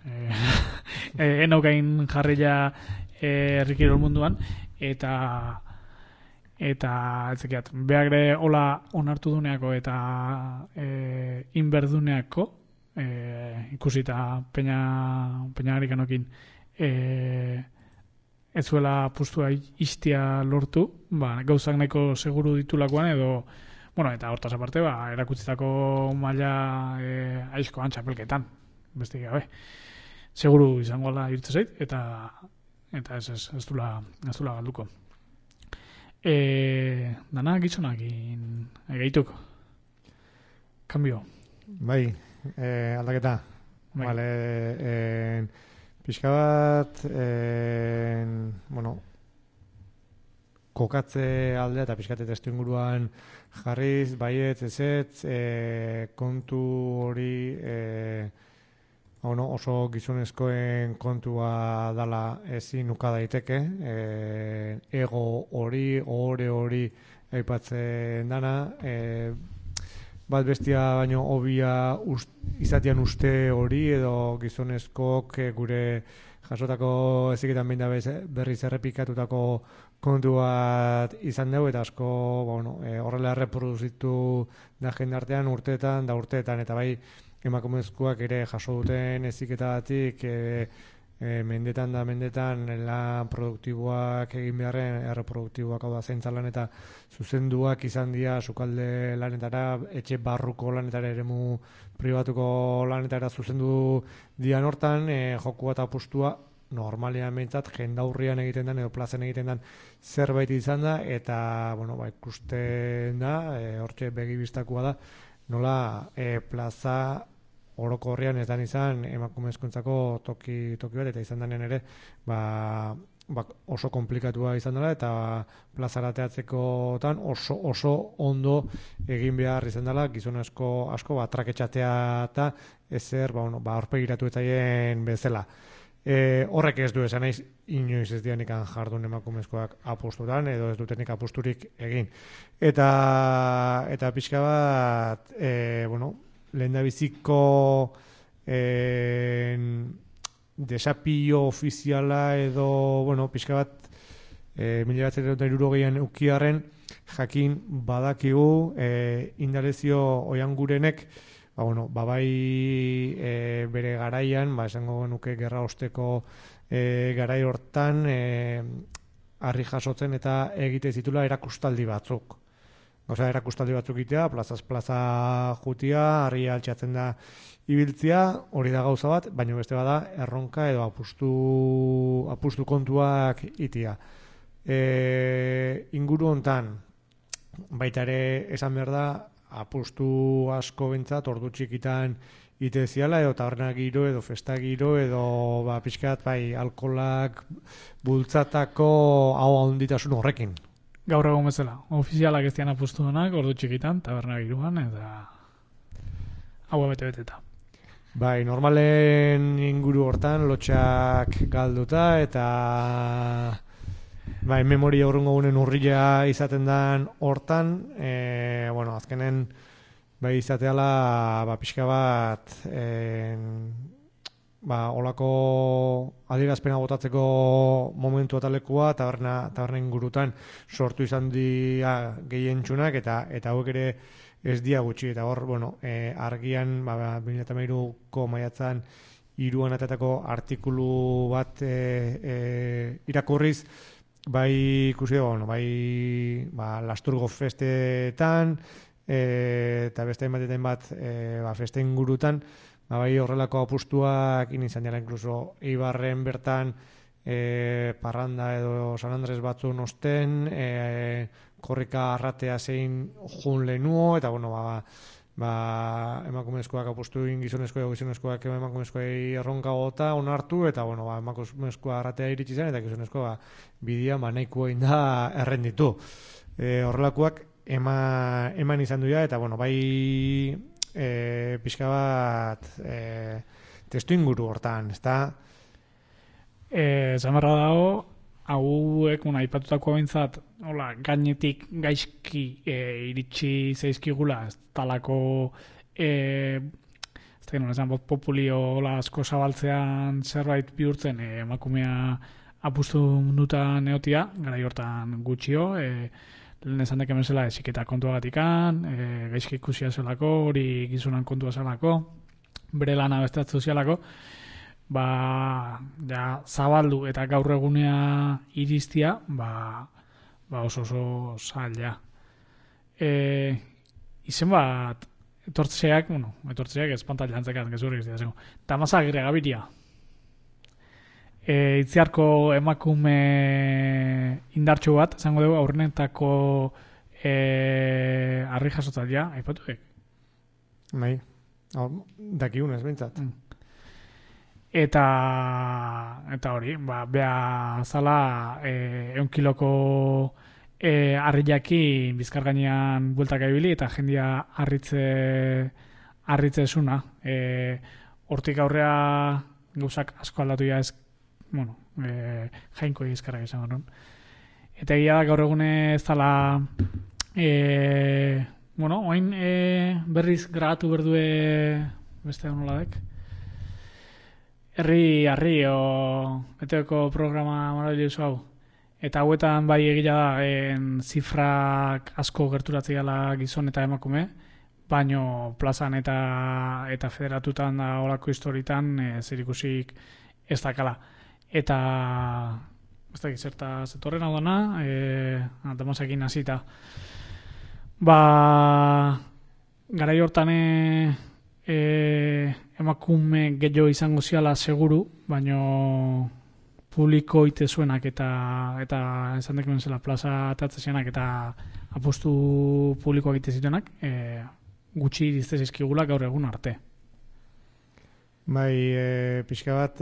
Enaukain jarrila herrikirol munduan, eta eta etzekiat, behagre hola onartu duneako eta inberduneako, ikusita peñagarikanokin ez zuela postua istia lortu, gauzak nahiko seguru ditulakoan edo, eta hortaz aparte, erakutzitako maila aizkoan txapelketan, beste gabe. Seguru izango ala irtze zait, eta ez dula galduko. Dana gizonakin egeituk. Kambio. Bai, aldaketa. Bai. Vale, pixka bat, kokatze aldea eta pixkate testu inguruan jarriz, baietz, ezetz, kontu hori oso gizonezkoen kontua dala ezin uka daiteke, ego hori, ohore hori aipatzen dana, bat bestia baino hobia izatean uste hori edo gizonezkoak gure jasotako eziketan behin da berriz errepikatutako kontu bat izan dugu eta asko horrela erreproduzitu da jendartean urteetan eta bai emakumezkoak ere jaso duten eziketatik mendetan lan produktiboak egin beharren erreproduktiboak hau da zaintzalan eta zuzenduak izan dira sukalde lanetara, etxe barruko lanetara, eremu pribatuko lanetara zuzendu dian hortan, joku bat apustua normalean behintzat jendaurrian egiten den edo plazen egiten den zerbait izan da eta ikusten da, hortxe begibistakoa da, nola plaza orokorrean ez dan izan emakumezkoentzako toki bat eta izan denean ere oso komplikatua izan dela eta plazara teatzekotan oso ondo egin behar izan dela gizonezko asko traketxatea eta ezer aurpegiratu etzaien bezala. Horrek ez du esan naiz inoiz ez dianikan jardun emakumezkoak apustutan edo ez dutenik apusturik egin. Eta pixka bat lehendabiziko desapio ofiziala edo, pixka bat 1960an ukiarren jakin badakigu Indalezio Oiangurenek bai bere garaian, esango nuke gerra osteko garai hortan harri jasotzen eta egite zitula erakustaldi batzuk. Erakustaldi batzuk itea, plazaz plaza jutia, harri altxatzen da ibiltzia, hori da gauza bat, baina beste bada erronka edo apustu kontuak itia. Inguru hontan, baita ere esan behar da, apustu asko bentzat, ordu txikitan iteziala, edo taberna giro, edo festa giro, edo pixkat alkolak bultzatako hau handitasun horrekin. Gaur egon bezala, ofizialak ez dian apustu denak, ordu txikitan, taberna giroan, eta hau bete-beteta. Bai, normalen inguru hortan, lotxak galduta, eta memoria urrungo gunen urrila izaten den hortan, azkenen izateala pixka bat olako adierazpena botatzeko momentu eta lekua taberna ingurutan sortu izan dira gehientsunak eta hauek ere ez dia gutxi eta hor, argian 2013ko maiatzan 3 atatako artikulu bat irakurriz ikusi Lasturgo festetan eta beste hainbatetan bat feste ingurutan horrelako apustuak izan dira inkluso Eibarren bertan parranda edo San Andres batzun osten korrika arratea zein jun lehenuo eta emakumezkoak apustu gizonezkoak emakumezkoei erronka gota onartu eta emakumezkoa arratea iritsi zen eta gizonezkoa bidea nahikoa inda errenditu. Horrelakoak eman izan duia eta pixka bat testu inguru hortan, ezta? Zamarra dago, hauek aipatutako bintzat gainetik gaizki iritsi zaizkigula, ez talako populio asko zabaltzean zerbait bihurtzen emakumea apustu mundutan neotia, garai hortan gutxio, lehen esan deken bezala esiketa kontuagatikan, gaizki ikusia zelako, hori gizunan kontua zelako, bere lana bestatzu zialako, ja, zabaldu eta gaur egunea iristia, oso zaila. Izen bat, etortzeak espantaila antzekat, gezurrik ez dira. Damaza Agirre Gabiria. Itziarko emakume indartxo bat, zango dugu, aurrenetako arri jasotzailea, aipatu dek? Bai, dakiunez, bintzat. Eta hori, bea zala 1 kiloko harriakin bizkar gainean bueltaka ibili eta jendia harritze esuna. Hortik aurrea gauzak asko aldatu ja ez, jainko egizkarrak izan garen. Eta egia da gaur egune ez dala oain berriz grabatu berdue beste honoladek. Herri eteko programa maravilloso hau. Eta hauetan bai egia da zifrak asko gerturatzea gala gizon eta emakume, baino plazan eta federatutan da olako historitan zerikusik ez dakala. Eta ez dakit zerta zetorren hau dana, Damasekin hasita. Garai hortan emakume gehiago izango ziala seguru, baino publiko ite zuenak eta esan deken zela plaza atatzesenak eta apostu publikoak ite zituenak, gutxi irizte zizkigula gaur egun arte. Bai, pixka bat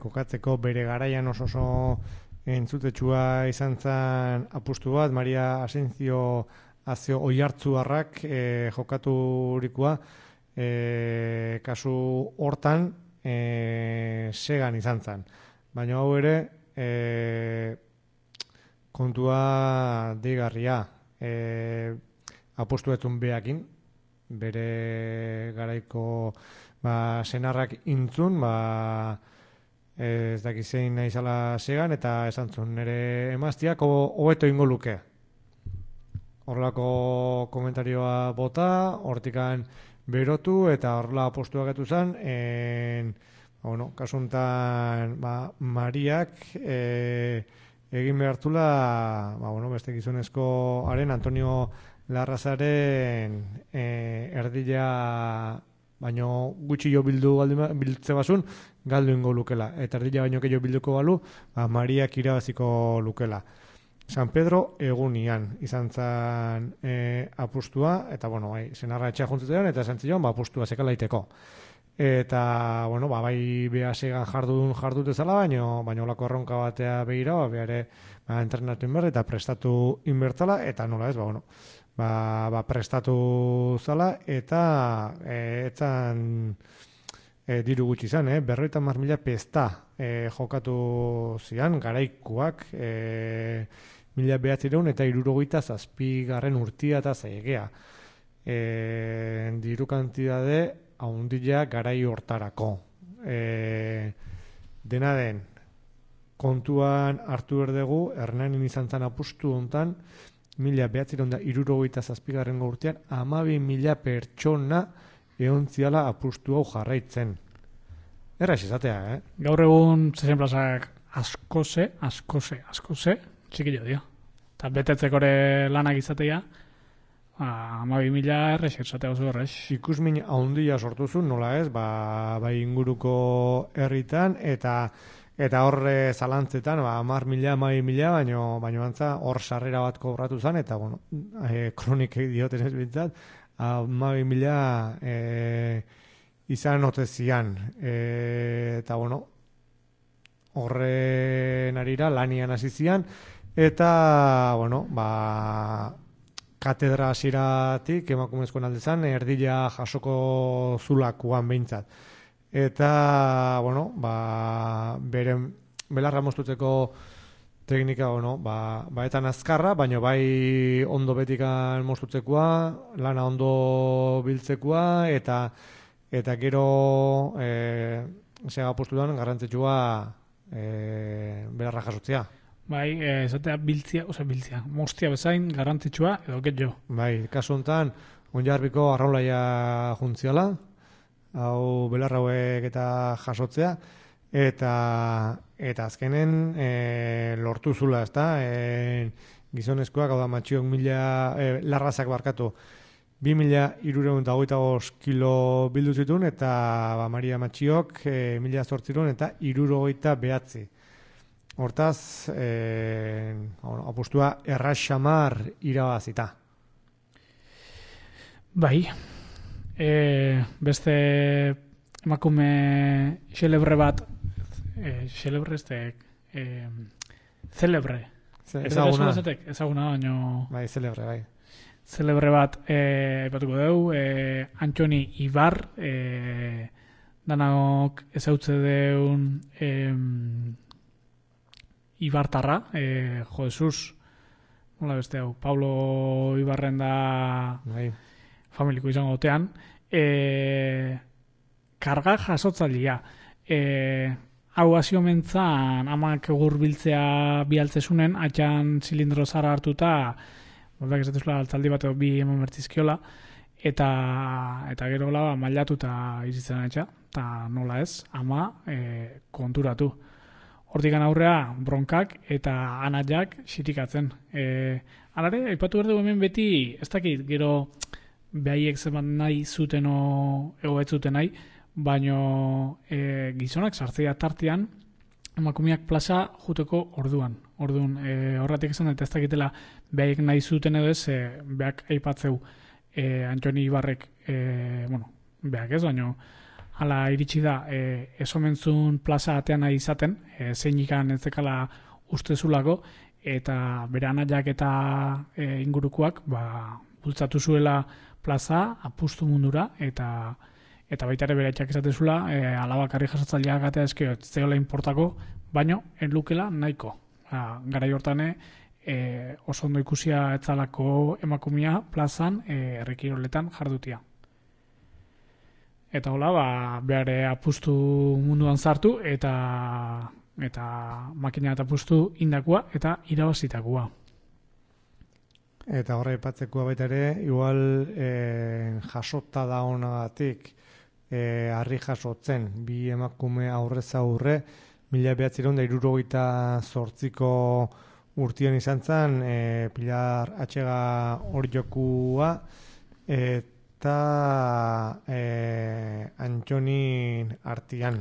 kokatzeko bere garaian oso entzutetxua izan zen apustu bat, Maria Asencio Azio Oiartzuarrak jokaturikoa, kasu hortan segan izan zen. Baina hau ere kontua deigarria, apustu etzun behakin, bere garaiko senarrak intzun, ez dakizein naizala segan, eta esan zuen nire emaztiak hobeto ingo luke. Horrelako komentarioa bota, hortikan berotu, eta horrela apostua getu zen, kasuntan Mariak egin behartula beste gizonezko haren Antonio Larrazaren erdila baino gutxi jo biltze basun galdu ingo lukela, eta erdila baino gehiago bilduko balu Mariak irabaziko lukela. San Pedro egunian izan zen apustua, eta senarra etxea juntzutean, eta esan zion apustua zekalaiteko. Eta, bai beha segan jardute zala, baino olako erronka batea behira, behare entrenatu inber, eta prestatu inbertzala, eta nola ez, prestatu zala, eta etzan diru gutxi izan, 50.000 pesta jokatu zian, garaikuak, 1900 eta 67 urtia eta zaigea. Diru kantidade haundila garai hortarako. Dena den, kontuan hartu berdegu, Hernanin izan zan apustu hontan, 1967 urtean, 12.000 pertsona eontziala apustu hau jarraitzen. Erraz izatea, Gaur egun zezen plazak askoze, txikillo dio. Eta betetzekore lanak izatea, 12.000 errez izatea oso errez. Ikusmin haundia sortu zuen, nola ez, bai inguruko herritan, eta horre zalantzetan, 10.000, 12.000, baino antza hor sarrera bat kobratu zen, eta kronikek dioten ez bintzat, 12.000 izan otezian. Eta horren arira lanian hasi zian, eta katedra hasiratik emakumezkoen aldezan erdila jasoko zulakuan behintzat. Eta, beren belarra moztutzeko teknika, baetan azkarra, baina bai ondo betikan moztutzekoa, lana ondo biltzekoa, eta gero sega postuan garrantzitsua belarra jasotzea. Bai, esatea biltzia, mostia bezain garrantzitsua edo getxo. Bai, kasu honetan, Onjarbiko arraulaia juntziala, hau belar hauek eta jasotzea, eta azkenen lortu zula, ezta? Gizonezkoak, hau da matxiok larrazak barkatu, 2.325 kilo bildu zituen, eta Maria Matxiok 1.800 eta 329. Hortaz, apustua erraxamar irabazita. Bai, beste emakume xelebre bat, celebre. Ezaguna, baino... Bai, celebre, bai. Celebre bat, epatuko dugu, Antxoni Ibar, danok ezautze deun Ibartarra, Jo Jesus, nola beste hau, Pablo Ibarren da familiko izango gotean, karga jasotzailea. Hau hasio mentzan amak egur biltzea bialtzesunen, atxan zilindro zara hartuta, moldak esatuzula altzaldi bat bi eman bertizkiola, eta gero gola mailatu eta izitzen atxa, eta nola ez, ama konturatu. Hortikan aurrea bronkak eta anaiak xirikatzen. Alare, aipatu berdu hemen beti, ez dakit, gero behaiek zeman nahi zuten egoet zuten nahi, baino gizonak sartzea tartean, emakumeak plaza juteko orduan. Horretik esan eta ez dakitela behaiek nahi zuten edo ez, behak aipatzeu Antxoni Ibarrek, behak ez, baino hala iritsi da, esomentzun plaza atean nahi izaten, zeinikan ez dekala ustezulako, eta bere anaiak eta ingurukoak bultzatu zuela plaza apustu mundura, eta baita ere bere etxak izatezula, alabakarri jasotzaileak atea eskio, zeola importako, baino, enlukela nahiko. Garai hortane, oso ondo ikusia etzalako emakumia plazan errekiroletan jardutia. Eta hola, behar apustu munduan sartu eta makina eta apustu indakua eta irabazitakoa. Eta horre ipatzekoa baita ere, igual jasota da honagatik harri jasotzen, bi emakume aurrez aurre, 1978ko urtean izan zen, Pilar Atxega Orjokua, eta Antxonin artian.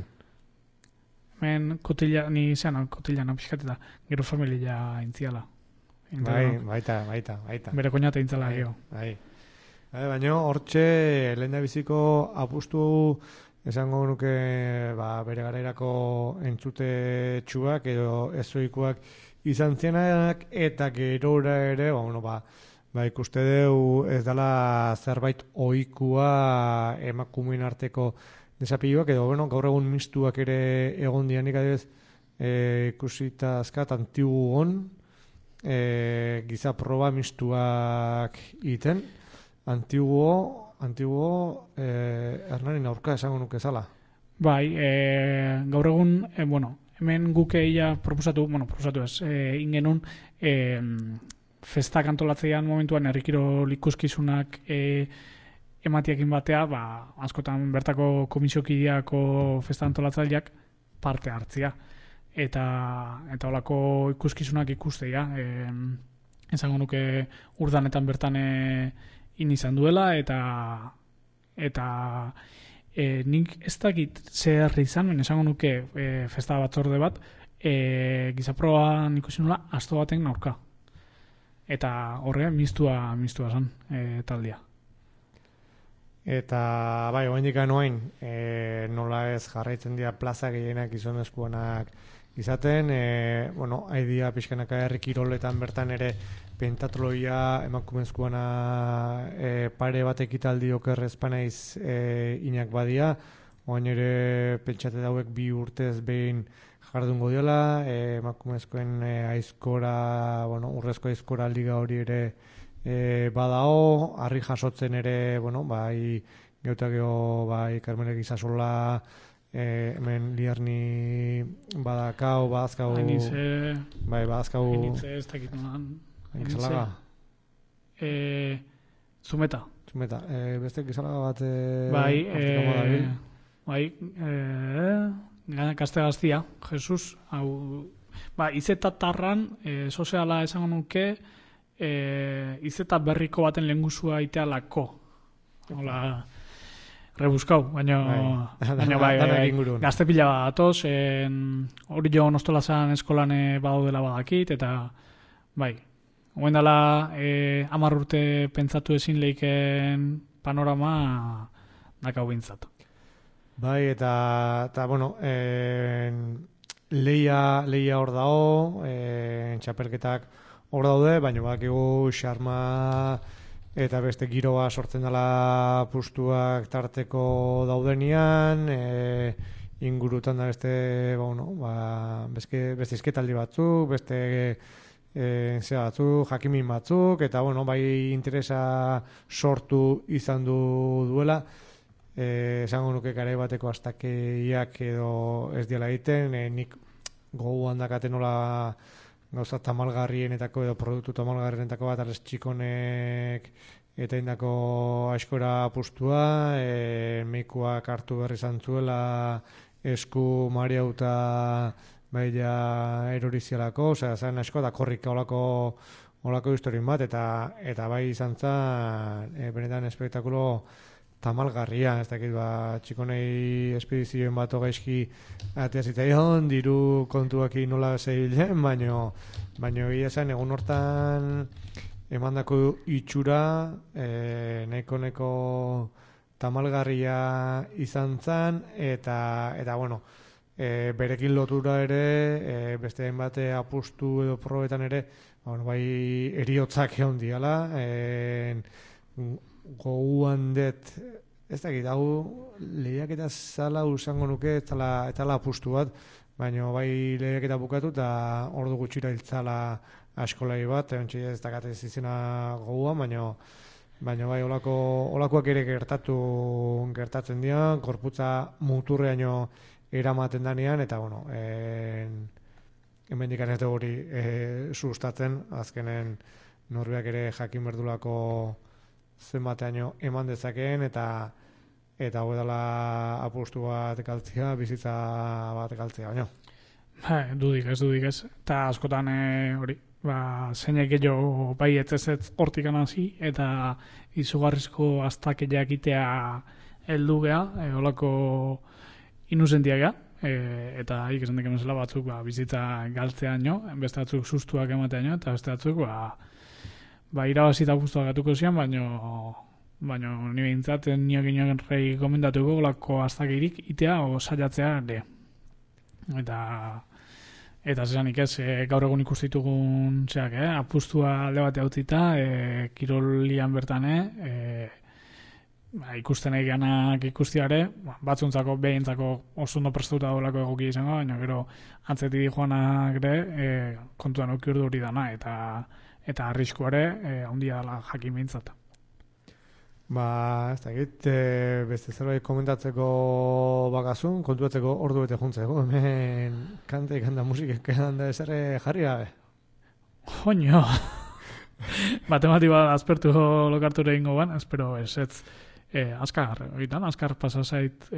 Hemen kotila pixkateta, gero familia intziala. Baita. Bere koñata intzala geho. Baina hortxe lehen da biziko apustu esango nuke bere garairako entzute txuak edo ezoikoak izan zienak, eta gerora ere, ikuste deu ez dela zerbait ohikoa emakumeen arteko desapioak, edo gaur egun mistuak ere egon dianik adibidez ikusita azkat Antiguon giza proba mistuak iten. Antiguo Hernaren aurka esango nuke zala. Bai, gaur egun, hemen guke ia proposatu ez, ingenun festak antolatzeian momentuan herrikirol ikuskizunak ematiakin batea, askotan bertako komisiokideako festa antolatzaileak parte hartzia. Eta holako ikuskizunak ikusteia. Esango nuke urdanetan bertan izan duela, eta nik ez dakit zer izan, esango nuke festa batzorde bat, gizaproan ikusi nula asto baten aurka. Eta horre mistua zen taldea. Eta oraindik anoain nola ez jarraitzen dira plaza gehienak gizonezkoenak izaten, haidia pixkanaka herri kiroletan bertan ere pentatloia emakumezkoana pare bat ekitaldi okerrez panaiz inak badia, oain ere pentsate dauek 2 urtez behin jardungo diola, emakumezkoen aizkora, urrezko aizkora liga hori ere badao, harri jasotzen ere, bai Geutageo, bai Carmenek Izasola, hemen Lierni badakau, badazkau... Hainitze... Bai, badazkau... Hainitze ez dakit nolan. Gizalaga? Zumeta. Zumeta. Beste gizalaga bat... Gazte gaztia, Jesus, hau... Izetatarran, soziala esango nuke, izeta berriko baten lehengusua itealako. Hola, rebuzkau, baina gazte pila bat atoz, hori jo nostolazan eskolan badaudela badakit, eta bai, hoen dela 10 urte pentsatu ezin leiken panorama dakau bintzat. Bai, eta bueno, leia hor dago, txapelketak hor daude, baina badakigu xarma eta beste giroa sortzen dela pustuak tarteko daudenian, ingurutan da beste, beste izketaldi batzuk, beste batzuk, jakimin batzuk, eta bai interesa sortu izan duela, esango nuke garai bateko astakeiak edo ez diela egiten, nik gogoan dakaten nola gauza tamalgarrienetako edo produktu tamalgarrienetako bat arrez txikonek eta indako askora pustua, meikuak hartu berri zantzuela esku mariauta baila erorizialako, zan asko da korrika olako historien bat, eta bai izan zen benetan espektakulo tamalgarria, ez dakit, txikonei espedizioen bat gaizki atea zitzaion, diru kontuaki nola zebilen, baino egia zen, egun hortan emandako itxura nahiko tamalgarria izan zen, eta berekin lotura ere, beste bate apustu edo probetan ere, bai eriotzak egon diala, goguan det, ez dakit, hau lehiaketa zala usango nuke, ez tala apustu bat, baina bai lehiaketa bukatu eta ordu gutxira hiltzala askolai bat, ez dakatez izena goguan, baina bai olakoak ere gertatzen dira, gorputza muturreaino eramaten danean, eta hemendikan ez dugu hori sustatzen, azkenen norbeak ere jakin berdulako zenbateaino eman dezakeen, eta hau edala apustu bat galtzea, bizitza bat galtzea, baina. Dudik ez. Eta askotan hori, zeinek gehiago bai ez hortik hasi, eta izugarrizko aztakeak itea heldu geha, holako inusentiak geha, eta esan deken zela batzuk bizitza galtzea nio, beste batzuk sustuak ematea nio, eta beste batzuk irabazita guztuak gatuko zian, baina ni behintzat nioak rei gomendatuko golako aztakirik itea o saiatzea ere. Eta zesanik ez, gaur egun ikustitugun apustua alde bate hautita, kirolian bertan, ikusten egianak ikustiare, batzuntzako, behintzako oso ondo prestatuta dolako egoki izango, baina gero antzeti joanak ere kontuan okiurdu hori dana, eta arriskuare handia dela jakin behintzat. Ez dakit, beste zerbait komentatzeko bakazun, kontuatzeko ordu bete juntzeko, hemen kanta musikek da esare jarri gabe. Joño! Matematika aspertu lokarture ingo ban, espero ez, azkar pasazait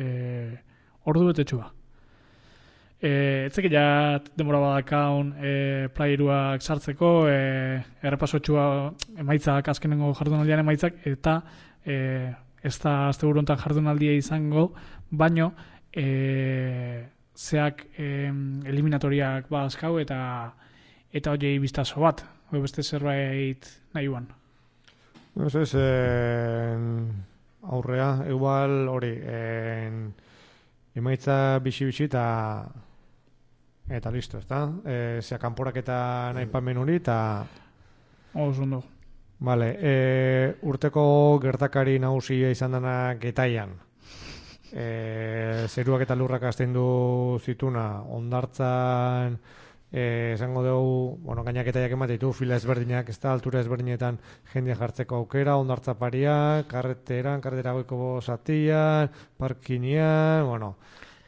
ordu bete txua. Etzek ja demora badakaun playeruak sartzeko, errepasotxua emaitzak, azkenengo jardunaldian emaitzak, eta ez da azte burontan jardunaldia izango, baino zeak eliminatoriak badazkau eta horiei biztazo bat, beste zerbait nahi uan. Ez aurrea, igual hori, emaitza bixi eta listo, ez da? Zea kanporak eta nahi pamen hori, eta... Oso Vale, urteko gertakari nagusia izan dena Getaian. Zeruak eta lurrak astendu zituna, hondartzan, esango dugu, gainak Getaiak emate ditu, fila ezberdinak, ez da, altura ezberdinetan jendea jartzeko aukera, hondartza pariak, karretera goiko zatian, parkinian,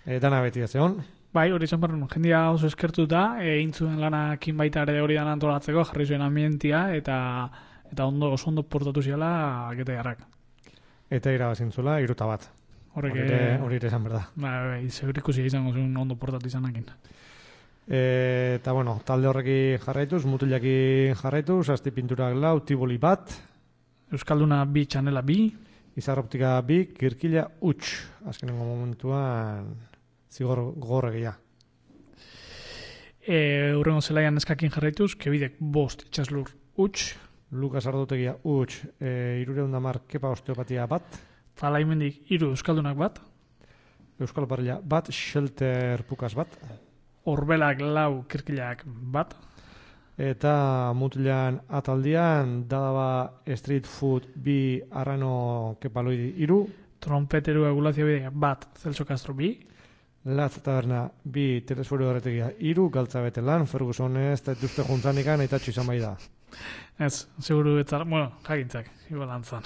Dana beti ez egon. Bai, hori izan barren, jendia oso eskertuta, egin zuen lanakin baita ere hori dan antolatzeko, jarri zuen ambientia, eta oso ondo portatu ziala gete jarrak. Eta irabazintzula, 3-1. Hori ere esan berda. Bai, segurikusi izango zuen ondo portatu izanakin. Eta, bueno, talde horreki jarraituz, mutilaki jarraituz, asti pinturak 4, tiboli 1. Euskalduna 2, txanela 2. Izarroptika 2, kirkila huts. Azkenengo momentuan zigor gogorregia. Urrengo zelaian eskakin jarraituz, kebidek 5, itxaslur huts. Lukas Ardotegia huts, 310 kepa osteopatia 1. Talaimendik 3 euskaldunak 1. Euskal Parrilla 1, Shelter Pukas 1. Orbelak 4, kirkilak 1. Eta mutilan ataldian, Dadaba Street Food 2, Arrano Kepaloidi 3. Trompeteru egulazio bidea 1, Celso Castro 2. Latz Taberna 2, Telesforio Horretegia 3, Galtzabete lan, Ferguson ez, eta dituzte juntzanikan, eta izan bai da. Ez, seguru etzara, bueno, jakintzak, igual antzan.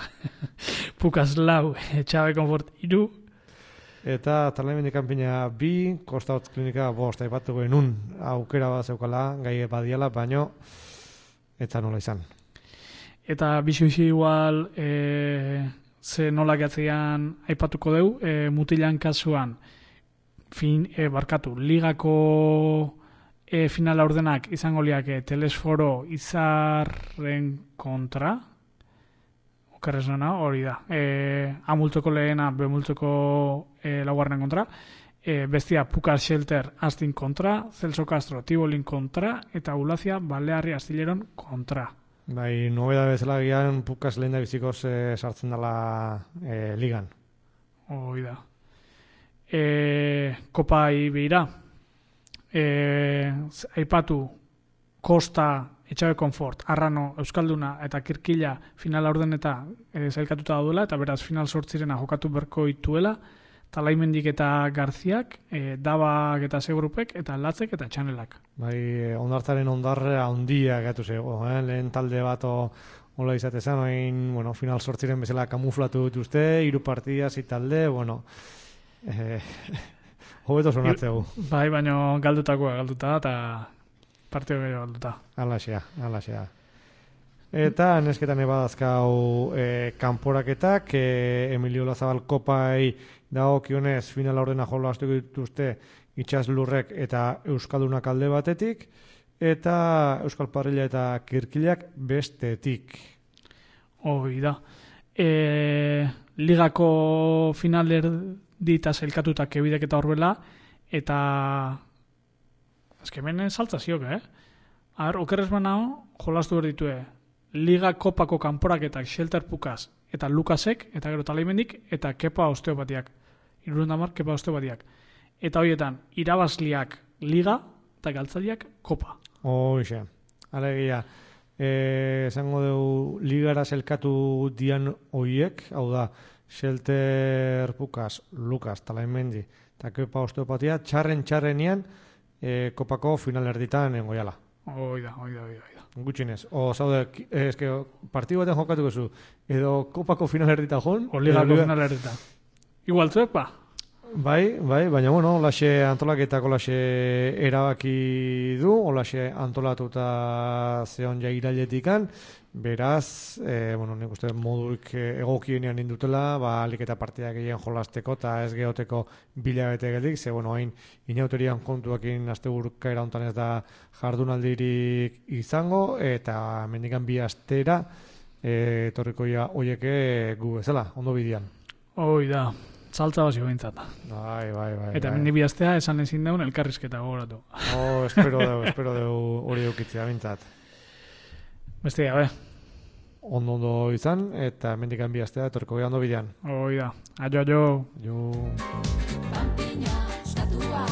Pukas 4, Etxabe Konfort 3. Eta Talaimendi kanpina 2, Kosta Hotz Klinika 5, aipatuko enun aukera bat zeukala, gai badiala, baino, eta nola izan. Eta bizi igual, ze nola gatzean aipatuko deu, mutilan kasuan, ligako finala ordenak izango liake Telesforo Izarren kontra, okerrez nena, hori da. A multzoko lehena, B multzoko laugarren kontra, bestia Pukas Shelter Astin kontra, Celso Castro Tibolin kontra, eta Ulazia Balearri Astilleron kontra. Bai, nobeda bezala gian Pukas lehen da bizikoz sartzen dela ligan. Hoi da. Kopai behira. Aipatu Kosta, Etxabe Konfort, Arrano, Euskalduna eta Kirkila finala ordeneta zailkatuta daudela, eta beraz final sortzirena jokatu berko ituela, Talaimendik eta Garziak, Dabak eta Segrupek, eta Latzek eta Txanelak. Bai, ondartzaren ondarra handia gatu zego, lehen talde bat hola izatezan, bueno, final sortziren bezala kamuflatu dituzte, 3 partida, 6 talde, bueno, hobeto sonatzegu. Bai, baina galduta, eta partio gehiago galduta. Alaxea. Eta nesketan ebadazkau kanporaketak, Emilio Lazabal kopai dagokionez finala ordena jola astuko dituzte Itxaslurrek eta Euskaldunak alde batetik, eta Euskal Parrilla eta Kirkilak bestetik. Hoi da. Ligako finaler dita zailkatuta kebidek eta horbela, eta azkemenen saltza zioke, okerrez banao, jolastu behar ditue, Liga Kopako kanporaketak Shelter Pukas eta Lukasek, eta gero Talaimendik, eta Kepa Osteopatiak. 310 Kepa Osteopatiak. Eta horietan, irabazliak Liga, eta galtzaliak Kopa. Hoxe, alegia, esango dugu ligara zelkatu dian hoiek, hau da, Shelter Pukas, Lukas, Talaimendi, eta Kepa Osteopatia, txarrenean, Kopako final erditan engoiala. Hoi da. Gutxinez. Zaude, partidu baten jokatuko zu, edo Kopako final erdita joan. O Ligako final erdita. Igual zuek, ba? Bai, baina bueno, olaxe antolaketak olaxe erabaki du, olaxe antolatuta zeon ja irailetikan, beraz, bueno, nik uste moduik egokienean indutela, alik eta partidak egin jolasteko eta ez geoteko bilabete geldik, ze, bueno, hain inauterian kontuakin asteburka erauntan ez da jardunaldirik izango, eta mendikan 2 astera torrikoia hoieke gu bezala, ondo bidian. Hoi da. Saltza bazio bintzat. Bai. Eta mendi bihaztea esan ezin daun elkarrizketa gogoratu. Espero deu hori eukitzea bintzat. Bestia, be. Ondo izan, eta mendikan bihaztea etorko gehan ondo bidean. Hoi da. Aio. Panpina, estatua.